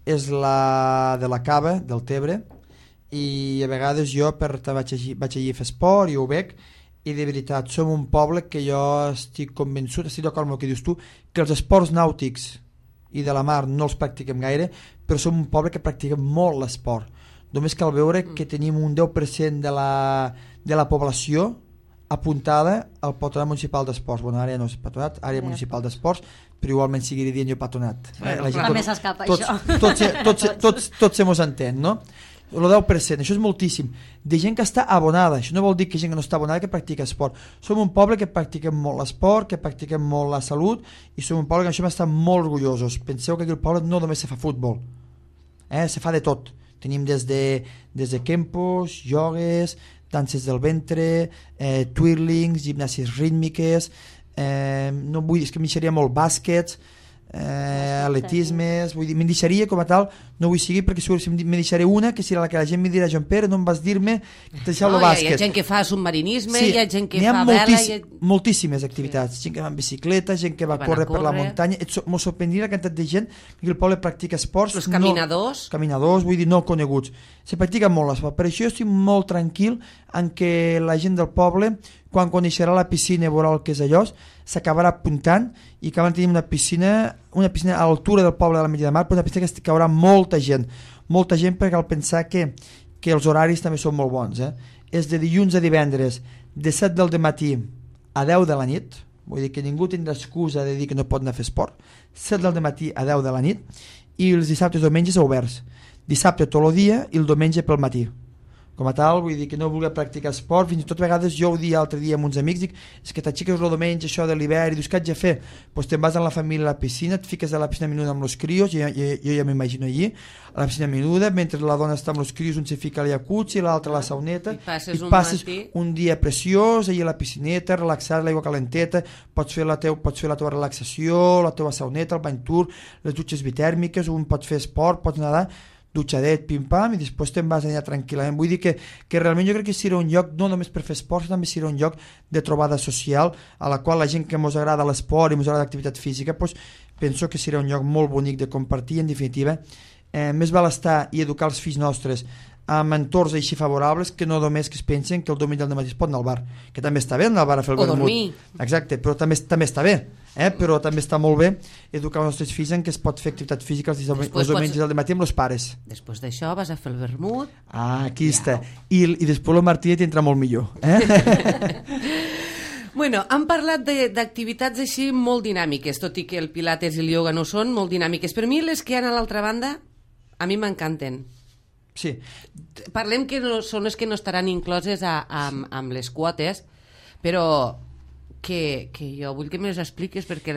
és la de la Cava, del Tebre, i a vegades jo per, vaig, allí, vaig allí a fer esport i ho veig, i de veritat som un poble que jo estic convençut, estic d'acord amb el que dius tu, que els esports nàutics i de la mar no els practiquem gaire, però som un poble que practiquem molt l'esport. Només cal veure que tenim un deu per cent de la, de la població apuntada al Patronat Municipal d'Esports. Bueno, ara ja no és patronat, àrea municipal d'esports, però igualment seguiré dient jo patronat. Bueno, eh, també s'escapa tots, això. Tots, tots, tots, tots, tots se mos entén, no? El deu per cent, això és moltíssim. De gent que està abonada, això no vol dir que gent que no està abonada que practica esport. Som un poble que practiquem molt l'esport, que practiquem molt la salut, i som un poble que això m'està molt orgullosos. Penseu que aquí al poble no només se fa futbol, eh? Se fa de tot. Tenim des de, des de kempos, iogues, danses del ventre, eh, twirlings, gimnàsies rítmiques, eh, no vull dir, és que m'hi deixaria molt bàsquets, eh, atletismes, vull dir, m'hi deixaria com a tal, no vull seguir perquè segur que m'hi deixaré una, que serà la que la gent m'hi dirà, Joan Pere, no em vas dir-me que deixeu el bàsquet. Hi ha gent que fa submarinisme, sí, hi ha gent que ha fa moltíssim, vela... Hi ha... moltíssimes activitats, sí. Gent que va en bicicleta, gent que va córrer, córrer per la muntanya, m'ho sorprendria la quantitat de gent que el poble practica esports. Els caminadors. No, caminadors, vull dir, no coneguts. Se practica molt l'esport, per això jo estic molt tranquil en que la gent del poble, quan coneixerà la piscina i veurà el que és allò, s'acabarà apuntant i que van tenir una piscina, una piscina a l'altura del poble de la Metlla de Mar, però una piscina que caurà molta gent, molta gent perquè cal pensar que, que els horaris també són molt bons, eh? És de dilluns a divendres, de set del dematí a deu de la nit, vull dir que ningú tindrà excusa de dir que no pot anar a fer esport, set del dematí a deu de la nit, i els dissabtes i diumenges oberts, dissabte tot el dia i el diumenge pel matí. com a tal, vull dir que no volia practicar esport, fins i tot a vegades jo ho dia l'altre dia amb uns amics, dic, és que t'aixeques el diumenge això de l'hivern i dius, què haig de fer? Doncs te'n vas amb la família a la piscina, et fiques a la piscina menuda amb els crios, jo, jo, jo ja m'imagino allí, a la piscina menuda, mentre la dona està amb els crios, un se fica al jacuzzi, l'altre a la sauneta, i passes, i un, passes matí... un dia preciós, allà a la piscineta, relaxar l'aigua calenteta, pots fer, la teu, pots fer la teva relaxació, la teva sauneta, el bany tur, les dutxes bitèrmiques, un pot fer esport, pots nedar, dutxadet, pim-pam, i després te'n vas allà tranquil·lament. Vull dir que, que realment jo crec que serà un lloc no només per fer esport, també serà un lloc de trobada social, a la qual la gent que ens agrada l'esport i ens agrada l'activitat física, doncs, penso que serà un lloc molt bonic de compartir, en definitiva. Eh, més val estar i educar els fills nostres amb entorns així favorables que no només que es pensen que el diumenge al matí es pot anar al bar, que també està bé anar al bar a fer el o vermut. dormir. Exacte, però també, també està bé, eh? Però també està molt bé educar els nostres fills en què es pot fer activitat física els diumenges pots... al matí amb els pares. Després d'això vas a fer el vermut. Ah, aquí ja. Està. I, i després el Martí t'entra molt millor. Eh? Bueno, hem parlat d'activitats així molt dinàmiques, tot i que el pilates i el ioga no són molt dinàmiques. Per mi les que hi ha a l'altra banda, a mi m'encanten. Sí. Parlem que no, són les que no estaran incloses a, a, amb les quotes, però que, que jo vull que me les expliques perquè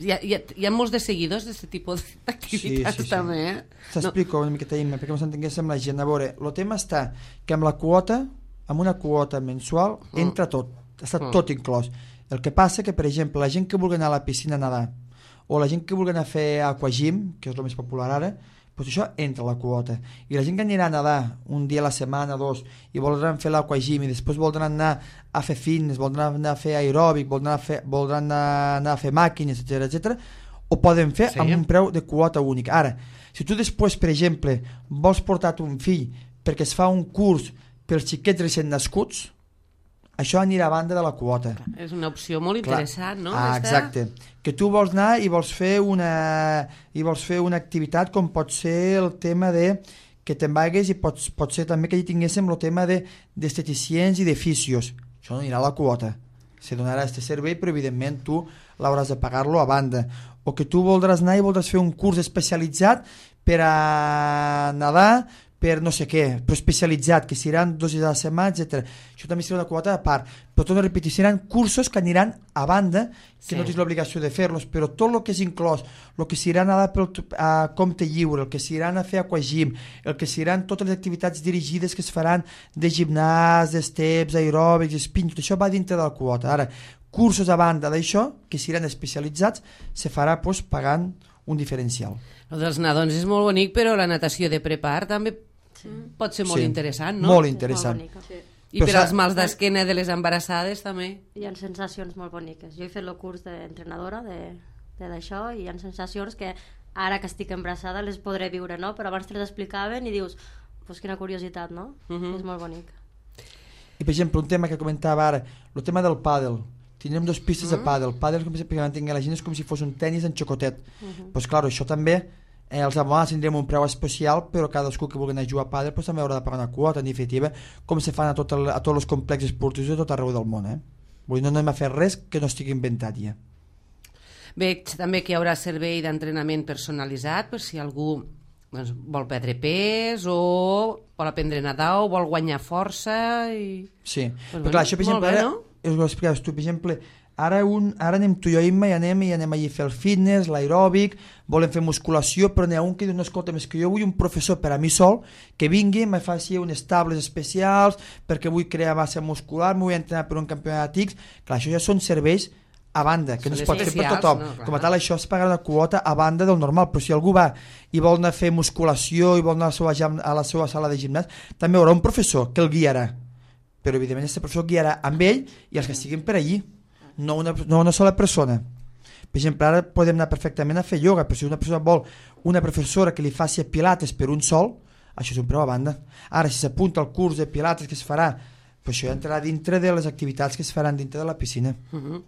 hi ha, hi ha, hi ha molts de seguidors d'aquest tipus d'activitats sí, sí, sí. també. Eh? T'explico no. una miqueta, Imma, perquè ens entenguéssim la gent. A veure, el tema està que amb la quota, amb una quota mensual, mm. entra tot, està mm. tot inclòs. El que passa que, per exemple, la gent que vulgui anar a la piscina a nedar, o la gent que vulgui anar a fer aquagym, que és el més popular ara, doncs això entra a la quota. I la gent que anirà a nedar un dia a la setmana, dos, i voldran fer l'aquagym, i després voldran anar a fer fitness, voldran anar a fer aeròbic, voldran, a fer, voldran anar, anar a fer màquines, etcètera, etcètera, ho poden fer sí. amb un preu de quota únic. Ara, si tu després, per exemple, vols portar un fill perquè es fa un curs per xiquets recent nascuts, això anirà a banda de la quota. És una opció molt interessant, no? Ah, exacte. Que tu vols anar i vols fer una i vols fer una activitat com pot ser el tema de que te'n vagues i pots, pot ser també que hi tinguéssim el tema d'estheticients de, i de fisios. Això no anirà a la quota. Se donarà aquest servei, però evidentment tu l'hauràs de pagar-lo a banda. O que tu voldràs anar i voldràs fer un curs especialitzat per a nedar, per no sé què, però especialitzat, que seran dos dies a la setmana, etcètera. Això també serà una quota a part. Però tot a repetir, seran cursos que aniran a banda, que sí. no tens l'obligació de fer-los, però tot el que és inclòs, el que seran a, pel, a compte lliure, el que seran a fer aquagym, el que seran totes les activitats dirigides que es faran de gimnàs, d'esteps, aeròbics, spin, tot això va dintre de la quota. Ara, cursos a banda d'això, que seran especialitzats, se farà pues, pagant un diferencial. El dels nadons és molt bonic, però la natació de prepar també sí. pot ser molt sí. interessant, no? Molt interessant. Sí. I però per als mals d'esquena de les embarassades també. Hi ha sensacions molt boniques. Jo he fet el curs d'entrenadora de, de d'això i hi ha sensacions que ara que estic embarassada les podré viure, no? Però abans te les explicaven i dius, pues quina curiositat, no? Uh -huh. És molt bonic. I per exemple, un tema que comentava ara, el tema del pàdel. Tindrem dos pistes uh -huh. de pàdel. Pàdel, com si la gent, és com si fos un tennis en xocotet. Uh -huh. Pues clar, això també, eh, els abonats tindrem un preu especial, però cadascú que vulgui anar a jugar a pàdel pues, també haurà de pagar una quota, en definitiva, com se fan a, tot el, a tots els complexos esportius de tot arreu del món. Eh? Vull dir, no anem a fer res que no estigui inventat ja. Veig també que hi haurà servei d'entrenament personalitzat per si algú doncs, vol perdre pes o vol aprendre a nedar o vol guanyar força. I... Sí, pues però clar, això per exemple, bé, ara, no? us ho explicaves tu, per exemple, ara, un, ara anem tu i jo, Imma, i anem, i anem allà a fer el fitness, l'aeròbic, volem fer musculació, però n'hi ha un que diu, no, escolta, més que jo vull un professor per a mi sol, que vingui, me faci unes tables especials, perquè vull crear massa muscular, m'ho vull entrenar per un campionat X. Clar, això ja són serveis a banda, que són no es pot fer per tothom. No, com a tal, això es paga una quota a banda del normal, però si algú va i vol anar a fer musculació i vol anar a la seva, a la seva sala de gimnàs, també hi haurà un professor que el guiarà. Però evidentment aquest professor guiarà amb ell i els que estiguin per allí, no una, no una sola persona. Per exemple, ara podem anar perfectament a fer ioga, però si una persona vol una professora que li faci pilates per un sol, això és un preu a banda. Ara, si s'apunta al curs de pilates que es farà, pues això ja entrarà dintre de les activitats que es faran dintre de la piscina. Uh-huh.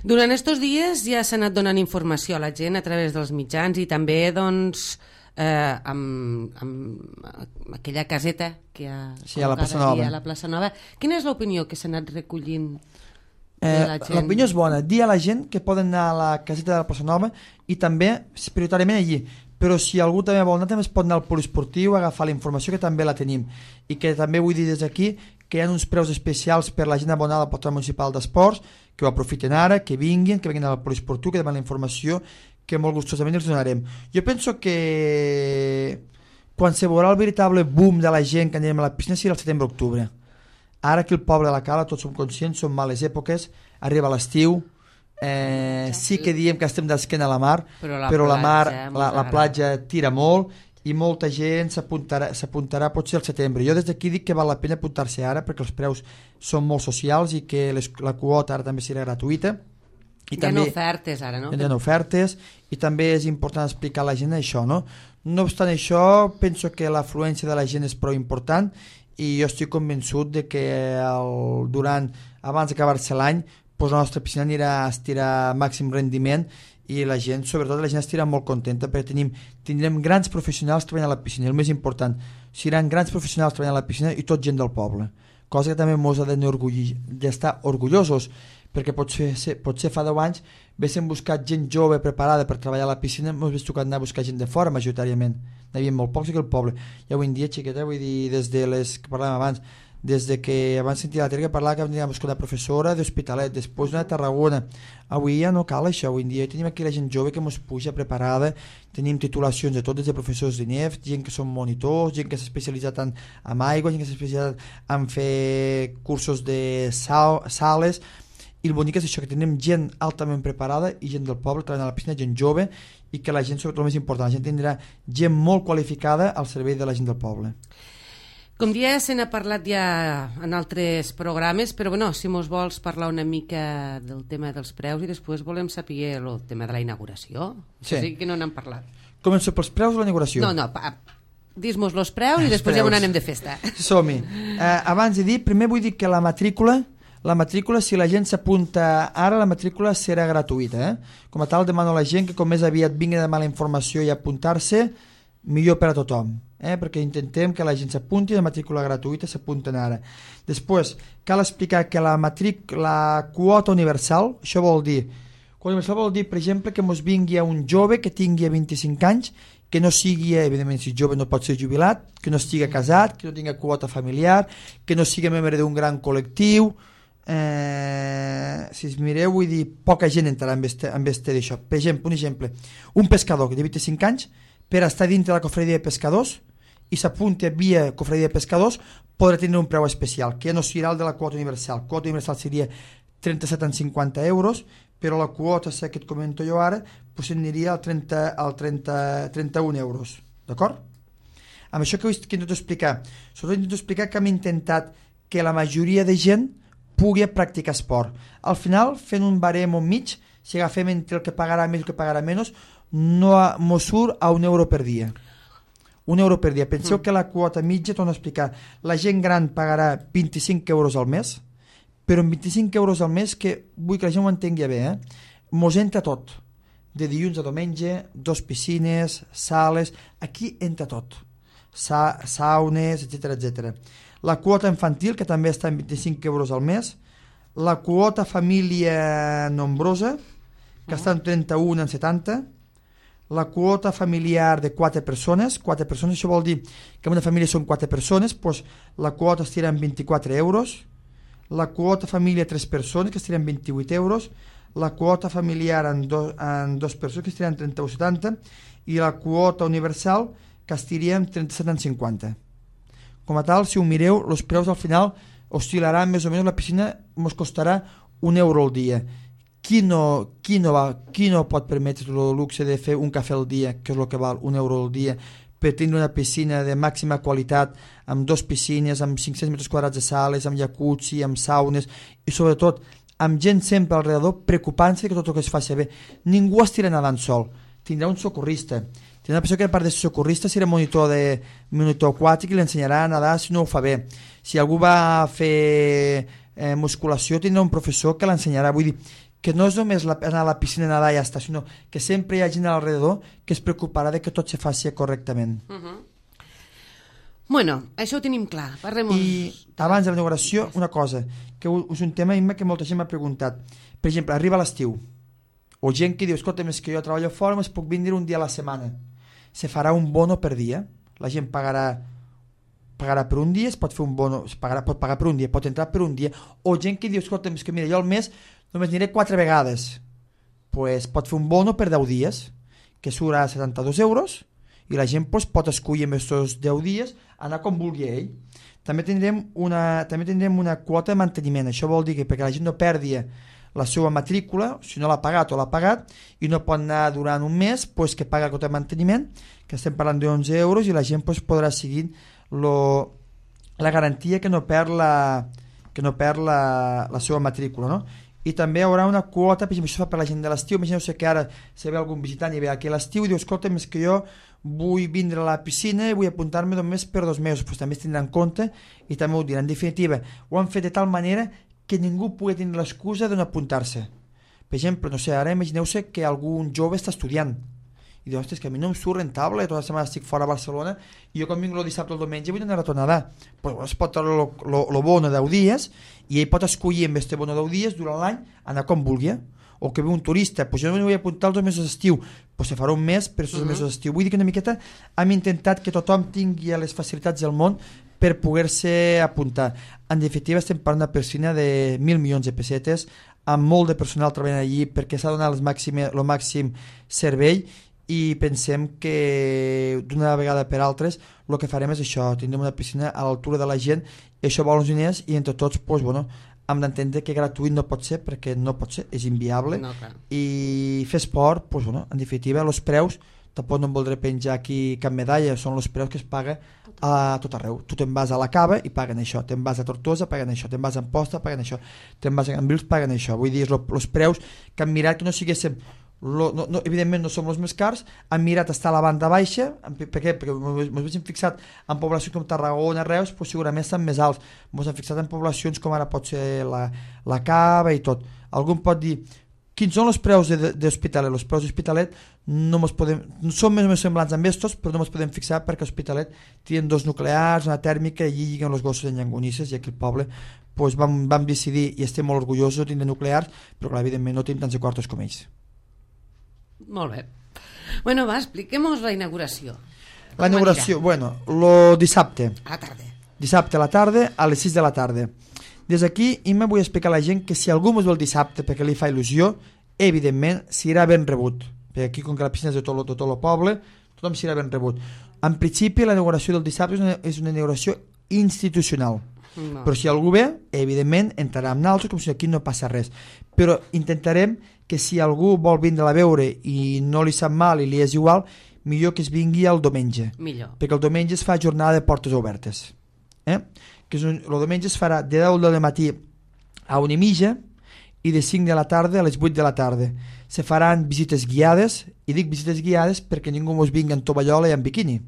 Durant aquests dies ja s'ha anat donant informació a la gent a través dels mitjans i també doncs eh, amb, amb aquella caseta que hi ha sí, a la Plaça Nova. a la Plaça Nova. Quina és l'opinió que s'ha anat recollint? Eh, L'opinió és bona, dir a la gent que poden anar a la caseta de la Plaça Nova i també prioritàriament allí, però si algú també vol anar, també es pot anar al poliesportiu, agafar la informació, que també la tenim, i que també vull dir des d'aquí que hi ha uns preus especials per la gent abonada al Portal Municipal d'Esports, que ho aprofiten ara, que vinguin, que vinguin al poliesportiu, que demanen la informació, que molt gustosament els donarem. Jo penso que quan se veurà el veritable boom de la gent que anirem a la piscina serà el setembre-octubre. Ara que el poble de la Cala, tots som conscients, són males èpoques, arriba l'estiu, eh, sí que diem que estem d'esquena a la mar, però la, però la mar, la, la platja tira molt i molta gent s'apuntarà s'apuntarà potser al setembre. Jo des d'aquí dic que val la pena apuntar-se ara perquè els preus són molt socials i que les, la quota ara també serà gratuïta. I hi també, ha ofertes ara, no? Hi ha ofertes i també és important explicar a la gent això, no? No obstant això, penso que l'afluència de la gent és prou important i jo estic convençut de que el, durant, abans d'acabar-se l'any, doncs la nostra piscina anirà a estirar màxim rendiment i la gent, sobretot la gent estirà molt contenta perquè tenim, tindrem grans professionals treballant a la piscina, el més important, seran grans professionals treballant a la piscina i tot gent del poble, cosa que també ens ha d'estar orgullosos, perquè potser, potser fa deu anys haguéssim buscat gent jove preparada per treballar a la piscina, ens hagués tocat anar a buscar gent de fora majoritàriament, n'hi havia molt pocs aquí al poble, i avui en dia, xiqueta, vull dir, des de les que parlàvem abans, des de que abans sentia la tele que parlava que anirem a buscar una professora d'Hospitalet, després una de Tarragona, avui ja no cal això, avui en dia tenim aquí la gent jove que ens puja preparada, tenim titulacions de tot, des de professors d'I N E F, gent que són monitors, gent que s'ha especialitzat en, en aigua, gent que s'ha especialitzat en fer cursos de sal, sales, i el bonic és això, que tenim gent altament preparada i gent del poble treballant a la piscina, gent jove, i que la gent, sobretot el més important, la gent tindrà gent molt qualificada al servei de la gent del poble. Com ja se n'ha parlat ja en altres programes, però bueno, si mos vols parlar una mica del tema dels preus i després volem saber el tema de la inauguració. Sí. Sí que no n'hem parlat. Començo pels preus de la inauguració? No, no, pa, dis-mos els preus i després ja on anem de festa. Som-hi. Eh, abans de dir, primer vull dir que la matrícula La matrícula, si la gent s'apunta ara, la matrícula serà gratuïta. Eh? Com a tal, demano a la gent que com més aviat vingui a demanar la informació i apuntar-se, millor per a tothom. Eh? Perquè intentem que la gent s'apunti, la matrícula gratuïta s'apunten ara. Després, cal explicar que la, matric, la quota universal, això vol dir, quota universal vol dir, per exemple, que mos vingui a un jove que tingui vint-i-cinc anys, que no sigui, evidentment, si jove no pot ser jubilat, que no estigui casat, que no tingui quota familiar, que no sigui membre d'un gran col·lectiu. Eh, si es mireu, vull dir, poca gent entrarà en este, en este d'això. Per exemple, un exemple, un pescador que té vint-i-cinc anys, per estar dintre de la cofredia de pescadors i s'apunti via cofredia de pescadors, podrà tenir un preu especial, que no serà el de la quota universal. La quota universal seria trenta-set coma cinquanta euros, però la quota, sé que et comento jo ara, pues aniria al, trenta, al trenta, trenta-un euros. D'acord? Amb això que, que intento explicar? Sobretot intento explicar que hem intentat que la majoria de gent pugui practicar esport. Al final, fent un barem o mig, si agafem entre el que pagarà més i el que pagarà menys, no mos surt a un euro per dia. Un euro per dia. Penseu mm. que la quota mitja, torno a explicar, la gent gran pagarà vint-i-cinc euros al mes, però amb vint-i-cinc euros al mes, que vull que la gent ho entengui bé, eh? Mos entra tot. De dilluns a diumenge, dos piscines, sales, aquí entra tot. Sa saunes, etcètera, etcètera. La quota infantil, que també està en vint-i-cinc euros al mes, la quota família nombrosa, que està en trenta-un en setanta, la quota familiar de quatre persones, quatre persones, això vol dir que en una família són quatre persones, doncs la quota estirà en vint-i-quatre euros, la quota família tres persones, que estirà en vint-i-vuit euros, la quota familiar en, do, en dos persones, que estirà en trenta-u coma setanta, i la quota universal, que estiria en trenta-set coma cinquanta. Com a tal, si ho mireu, els preus al final oscil·laran més o menys, la piscina ens costarà un euro al dia. Qui no, qui, no va, qui no pot permetre el luxe de fer un cafè al dia, que és el que val un euro al dia, per tenir una piscina de màxima qualitat, amb dos piscines, amb cinc-cents metres quadrats de sales, amb jacuzzi, amb saunes, i sobretot amb gent sempre alrededor preocupant-se que tot el que es faci bé. Ningú estirà nedant sol, tindrà un socorrista. Tindrà una persona que a part de socorrista serà monitor, de, monitor aquàtic i l'ensenyarà a nedar si no ho fa bé. Si algú va a fer eh, musculació tindrà un professor que l'ensenyarà. Vull dir que no és només la, anar a la piscina a nedar i ja està, sinó que sempre hi ha gent alrededor que es preocuparà de que tot se faci correctament. Uh -huh. Bueno, això ho tenim clar. Parlem I abans de la inauguració, una cosa, que és un tema que molta gent m'ha preguntat. Per exemple, arriba l'estiu, o gent que diu, escolta, més que jo treballo fora, més puc vindre un dia a la setmana. se farà un bono per dia. La gent pagarà pagarà per un dia, es pot fer un bono, es pagarà, pot pagar per un dia, pot entrar per un dia, o gent que diu, escolta, és que mira, jo al mes només aniré quatre vegades, pues pot fer un bono per deu dies, que surt a setanta-dos euros, i la gent pues, pot escollir en aquests deu dies anar com vulgui ell. També tindrem una, també tindrem una quota de manteniment, això vol dir que perquè la gent no perdi la seva matrícula, si no l'ha pagat o l'ha pagat, i no pot anar durant un mes, pues, que paga la quota de manteniment, que estem parlant d'onze euros, i la gent pues, podrà seguir Lo, la garantia que no perd la, que no perd la, la seva matrícula, no? I també hi haurà una quota, per exemple, això fa per la gent de l'estiu, imagineu-se que ara si ve algun visitant i ve aquí a l'estiu i diu, escolta, és que jo vull vindre a la piscina i vull apuntar-me només per dos mesos, pues també es tindrà en compte i també ho dirà. En definitiva, ho han fet de tal manera que ningú pugui tenir l'excusa de no apuntar-se. Per exemple, no sé, ara imagineu-se que algun jove està estudiant i diu, ostres, que a mi no em surt rentable, tota la setmana estic fora a Barcelona i jo quan vinc el dissabte o el diumenge vull anar a tornada. Pues es pot treure el bono deu dies i ell pot escollir amb aquest bono deu dies durant l'any anar com vulgui. O que ve un turista, pues jo no m'hi vull apuntar els dos mesos d'estiu, pues se farà un mes per els dos uh -huh. mesos d'estiu. Vull dir que una miqueta hem intentat que tothom tingui les facilitats del món per poder-se apuntar. En definitiva estem parlant d'una piscina de mil milions de pessetes amb molt de personal treballant allí perquè s'ha donat el màxim, el màxim servei i pensem que d'una vegada per altres el que farem és això, tindrem una piscina a l'altura de la gent i això vol uns diners i entre tots pues, bueno, hem d'entendre que gratuït no pot ser perquè no pot ser, és inviable no, i fer esport, pues, bueno, en definitiva els preus, tampoc no em voldré penjar aquí cap medalla, són els preus que es paga a tot arreu, tu te'n vas a la Cava i paguen això, te'n vas a Tortosa paguen això, te'n vas a Amposta paguen això, te'n vas a Cambrils paguen això, vull dir, els preus que han mirat que no siguéssim Lo, no, no, evidentment no som els més cars, han mirat estar a la banda baixa, per què? Perquè ens hem fixat en poblacions com Tarragona, Reus, pues segurament estan més alts, ens hem fixat en poblacions com ara pot ser la, la Cava i tot. Algú em pot dir quins són els preus d'Hospitalet? Els preus d'Hospitalet no mos podem, són més o menys semblants amb estos, però no ens podem fixar perquè Hospitalet tenen dos nuclears, una tèrmica i allí lliguen els gossos en llangonisses i aquí el poble pues, vam, vam decidir i estem molt orgullosos de tindre nuclears, però clar, evidentment no tenim tants de quartos com ells. Molt bé. Bueno, va, expliquem-nos la inauguració. La inauguració, bueno, lo dissabte. A la tarda. Dissabte a la tarda, a les sis de la tarda. Des d'aquí, i me vull explicar a la gent que si algú mos ve el dissabte perquè li fa il·lusió, evidentment, serà ben rebut. Perquè aquí, com que la piscina és de tot, de tot el poble, tothom serà ben rebut. En principi, la inauguració del dissabte és una, és una inauguració institucional. No. Però si algú ve, evidentment, entrarà amb naltros com si aquí no passa res. Però intentarem que si algú vol vindre a veure i no li sap mal i li és igual, millor que es vingui el diumenge. Millor. Perquè el diumenge es fa jornada de portes obertes. Eh? Que és un, el diumenge es farà de deu del matí a una i mitja i de cinc de la tarda a les vuit de la tarda. Se faran visites guiades, i dic visites guiades perquè ningú mos vingui en tovallola i en biquini.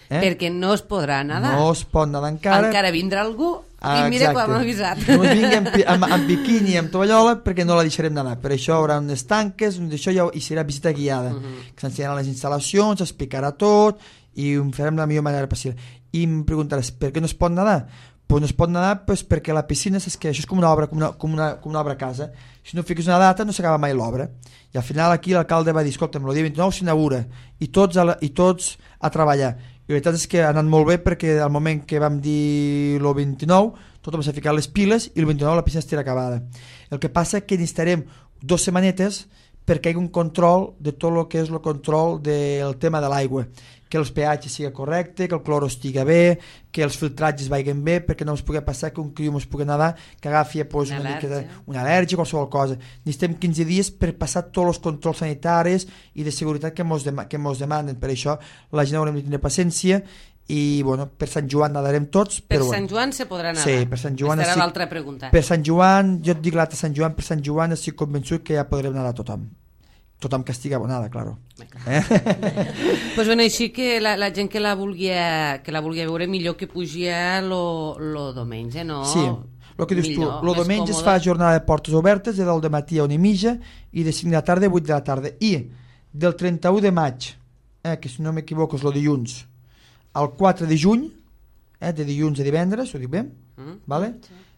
Eh? Perquè no es podrà nedar. No es pot nedar encara. Encara vindrà algú ah, i mira quan m'ha avisat. No es vingui amb, amb, amb biquini i amb tovallola perquè no la deixarem nedar. Per això hi haurà unes tanques això ja, i serà visita guiada. Uh -huh. Que s'ensenyaran les instal·lacions, s'explicarà tot i ho farem de la millor manera possible. I em preguntaràs, per què no es pot nedar? Pues no es pot nedar pues, perquè la piscina és que això és com una obra, com una, com una, com una obra a casa. Si no fiques una data no s'acaba mai l'obra. I al final aquí l'alcalde va dir, escolta'm, el dia vint-i-nou s'inaugura i tots a, la, i tots a treballar. I la veritat és que ha anat molt bé perquè al moment que vam dir el vint-i-nou tothom s'ha ficat les piles i el vint-i-nou la piscina estarà acabada. El que passa és que necessitarem dues setmanetes perquè hi hagi un control de tot el que és el control del tema de l'aigua, que els pH sigui correcte, que el cloro estigui bé, que els filtratges vagin bé, perquè no ens pugui passar que un criu ens pugui nedar, que agafi pues, una, una, mica de, una al·lèrgia, qualsevol cosa. Necessitem quinze dies per passar tots els controls sanitaris i de seguretat que mos, dem que mos demanen. Per això la gent haurem de tenir paciència i bueno, per Sant Joan nadarem tots. Per però, Sant bueno. Joan se podrà nadar? Sí, per Sant Joan. Aquesta era l'altra pregunta. Per Sant Joan, jo et dic l'altre Sant Joan, per Sant Joan estic convençut que ja podrem nadar tothom. Tothom que estigui abonada, claro. Eh? Pues bueno, així que la, la gent que la volia que la volia veure millor que pugia lo, lo diumenge, no? Sí, el que dius millor, tu, lo diumenge es fa jornada de portes obertes de deu de matí a una i mitja i de cinc de la tarda a vuit de la tarda. I del trenta-u de maig, eh, que si no m'equivoco és el dilluns, al quatre de juny, eh, de dilluns a divendres, ho dic bé? Mm. Vale?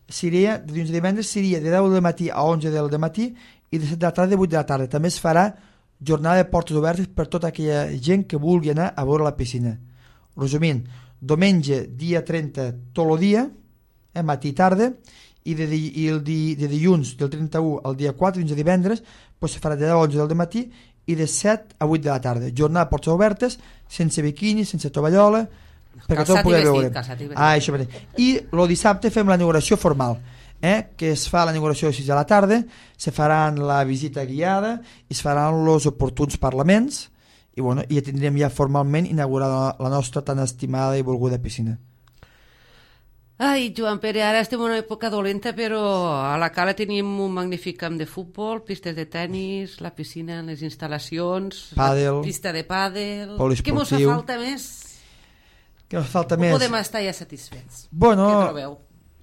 Seria, de dilluns a divendres seria de deu del matí a onze del matí i de set de la tarda a vuit de la tarda. També es farà jornada de portes obertes per tota aquella gent que vulgui anar a veure la piscina. Resumint, diumenge, dia trenta, tot el dia, eh, matí i tarda, i de, di, i el di, de dilluns del trenta-u al dia quatre, fins a divendres, pues, se farà de deu a onze del matí i de set a vuit de la tarda. Jornada de portes obertes, sense biquini, sense tovallola, perquè tot ho pugueu veure. Ah, això mateix. I el dissabte fem la inauguració formal, eh, que es fa la inauguració a les sis de la tarda, se faran la visita guiada i es faran els oportuns parlaments i, bueno, i ja tindrem ja formalment inaugurada la nostra tan estimada i volguda piscina. Ai, Joan Pere, ara estem en una època dolenta, però a la Cala tenim un magnífic camp de futbol, pistes de tennis, la piscina, les instal·lacions, pàdel, la pista de pàdel... Poliesportiu. Què mos fa falta més? Què mos falta o més? podem estar ja satisfets? Bueno, què trobeu?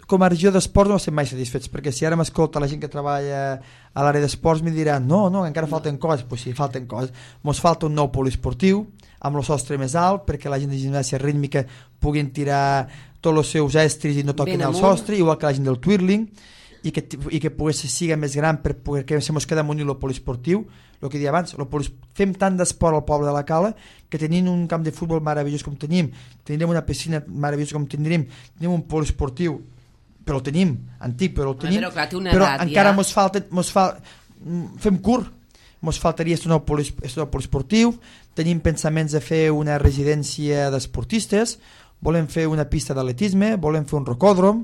Com a regió d'esports no estem mai satisfets, perquè si ara m'escolta la gent que treballa a l'àrea d'esports me diran no, no, encara falten coses. Pues sí, falten coses. Mos falta un nou poliesportiu amb el sostre més alt perquè la gent de gimnàsia rítmica puguin tirar tots els seus estris i no toquin el sostre, igual que la gent del twirling, i que, i que pogués siga més gran per poder que se mos queda amunt el poliesportiu. El que deia abans, polis... fem tant d'esport al poble de la Cala que tenint un camp de futbol meravellós com tenim, tindrem una piscina meravellosa com tindrem, tenim un poliesportiu, però el tenim, antic, però el tenim, però, clar, però edat, encara ja. mos falta, mos fa... fem curt, mos faltaria estudar el poliesportiu, tenim pensaments de fer una residència d'esportistes, volem fer una pista d'atletisme, volem fer un rocòdrom,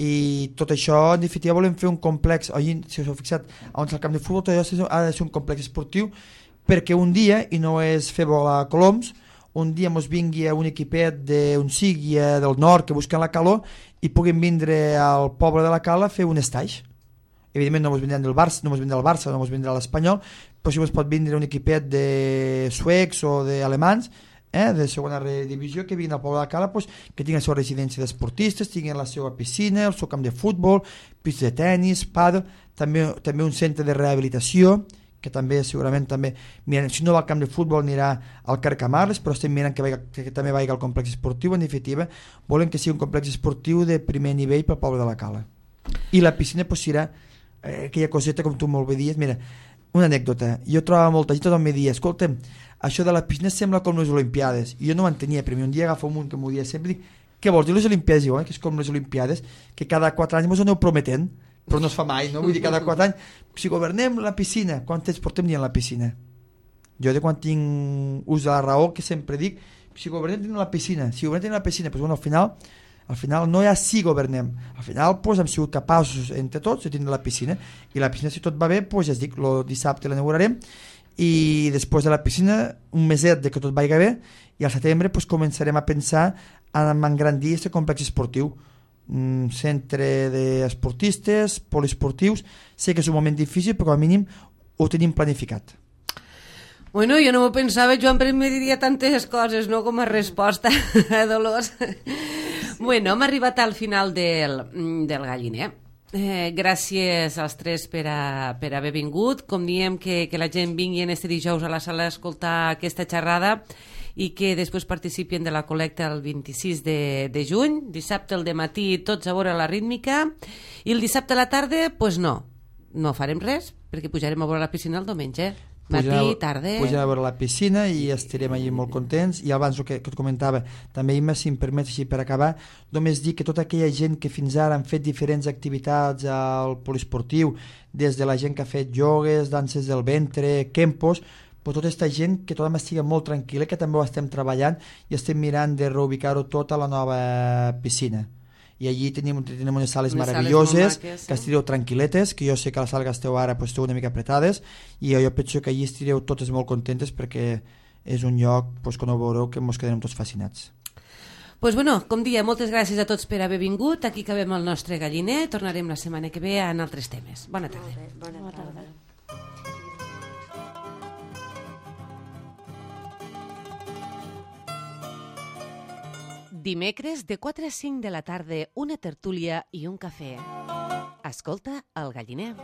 i tot això, en definitiva, volem fer un complex, allí, si us heu fixat, on és el camp de futbol, tot això ha de ser un complex esportiu, perquè un dia, i no és fer volar coloms, un dia mos vingui un equipet d'un sigui del nord que busquen la calor i puguin vindre al poble de la Cala a fer un estaix. Evidentment no mos vindran del Barça, no mos vindrà el Barça, no mos vindrà l'Espanyol, però si mos pot vindre un equipet de suecs o d'alemans, eh, de segona divisió, que vinguin al poble de la Cala, pues, que tinguin la seva residència d'esportistes, tinguin la seva piscina, el seu camp de futbol, pista de tennis, pàdel, també, també un centre de rehabilitació, que també segurament també, miren, si no va al camp de futbol anirà al Carcamarles, però estem mirant que, vagi, que també vagi al complex esportiu. En definitiva, volen que sigui un complex esportiu de primer nivell pel poble de la Cala. I la piscina pues, serà eh, aquella coseta, com tu molt bé dies. Mira, una anècdota, jo trobava molta gent, tothom me dia, escolta'm, això de la piscina sembla com les Olimpiades, i jo no m'entenia, però un dia agafo un munt que m'ho dia sempre, dic, què vols dir les Olimpiades? Diu, eh, que és com les Olimpiades, que cada quatre anys mos aneu prometent, però no es fa mai, no? Vull dir, cada quatre anys, si governem la piscina, quant temps portem dient la piscina? Jo de quan tinc ús de la raó, que sempre dic, si governem la piscina, si governem la piscina, doncs bueno, al final, al final no hi ha si governem, al final doncs, hem sigut capaços entre tots de tindre la piscina, i la piscina, si tot va bé, doncs ja es dic, el dissabte l'inaugurarem, i després de la piscina, un meset de que tot vagi bé, i al setembre doncs, començarem a pensar en engrandir aquest complex esportiu, un centre d'esportistes, poliesportius. Sé que és un moment difícil, però com a mínim ho tenim planificat. Bueno, jo no m'ho pensava, Joan, però em diria tantes coses, no?, com a resposta a Dolors. Bueno, hem arribat al final del, del galliner. Eh, gràcies als tres per, a, per haver vingut. Com diem, que, que la gent vingui en este dijous a la sala a escoltar aquesta xerrada i que després participin de la col·lecta el vint-i-sis de, de juny, dissabte al dematí tots a veure la rítmica, i el dissabte a la tarda, doncs pues no, no farem res, perquè pujarem a veure la piscina el diumenge, matí, pujarem, tarda... Pujarem a veure la piscina i estarem allà molt contents, i abans el que, que et comentava, també Imma, si em permets així per acabar, només dir que tota aquella gent que fins ara han fet diferents activitats al poliesportiu, des de la gent que ha fet jogues, danses del ventre, kempos, però tota aquesta gent que tothom estigui molt tranquil·la, que també ho estem treballant i estem mirant de reubicar-ho tot a la nova piscina. I allí tenim, tenim unes sales unes meravelloses, sales maques, que estireu tranquil·letes, que jo sé que a la sala que esteu ara pues, esteu una mica apretades, i jo penso que allí estireu totes molt contentes perquè és un lloc pues, que no veureu que ens quedarem tots fascinats. Pues bueno, com dia, moltes gràcies a tots per haver vingut. Aquí acabem el nostre galliner. Tornarem la setmana que ve en altres temes. Bona tarda. Bona tarda. Dimecres de quatre a cinc de la tarda, una tertúlia i un cafè. Escolta el galliner.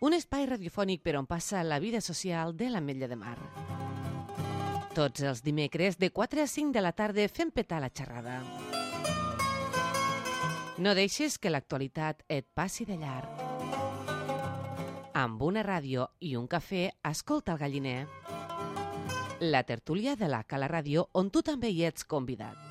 Un espai radiofònic per on passa la vida social de l'Ametlla de Mar. Tots els dimecres de quatre a cinc de la tarda fem petar la xerrada. No deixes que l'actualitat et passi de llarg. Amb una ràdio i un cafè, escolta el Galliner. La tertúlia de la Cala Ràdio, on tu també hi ets convidat.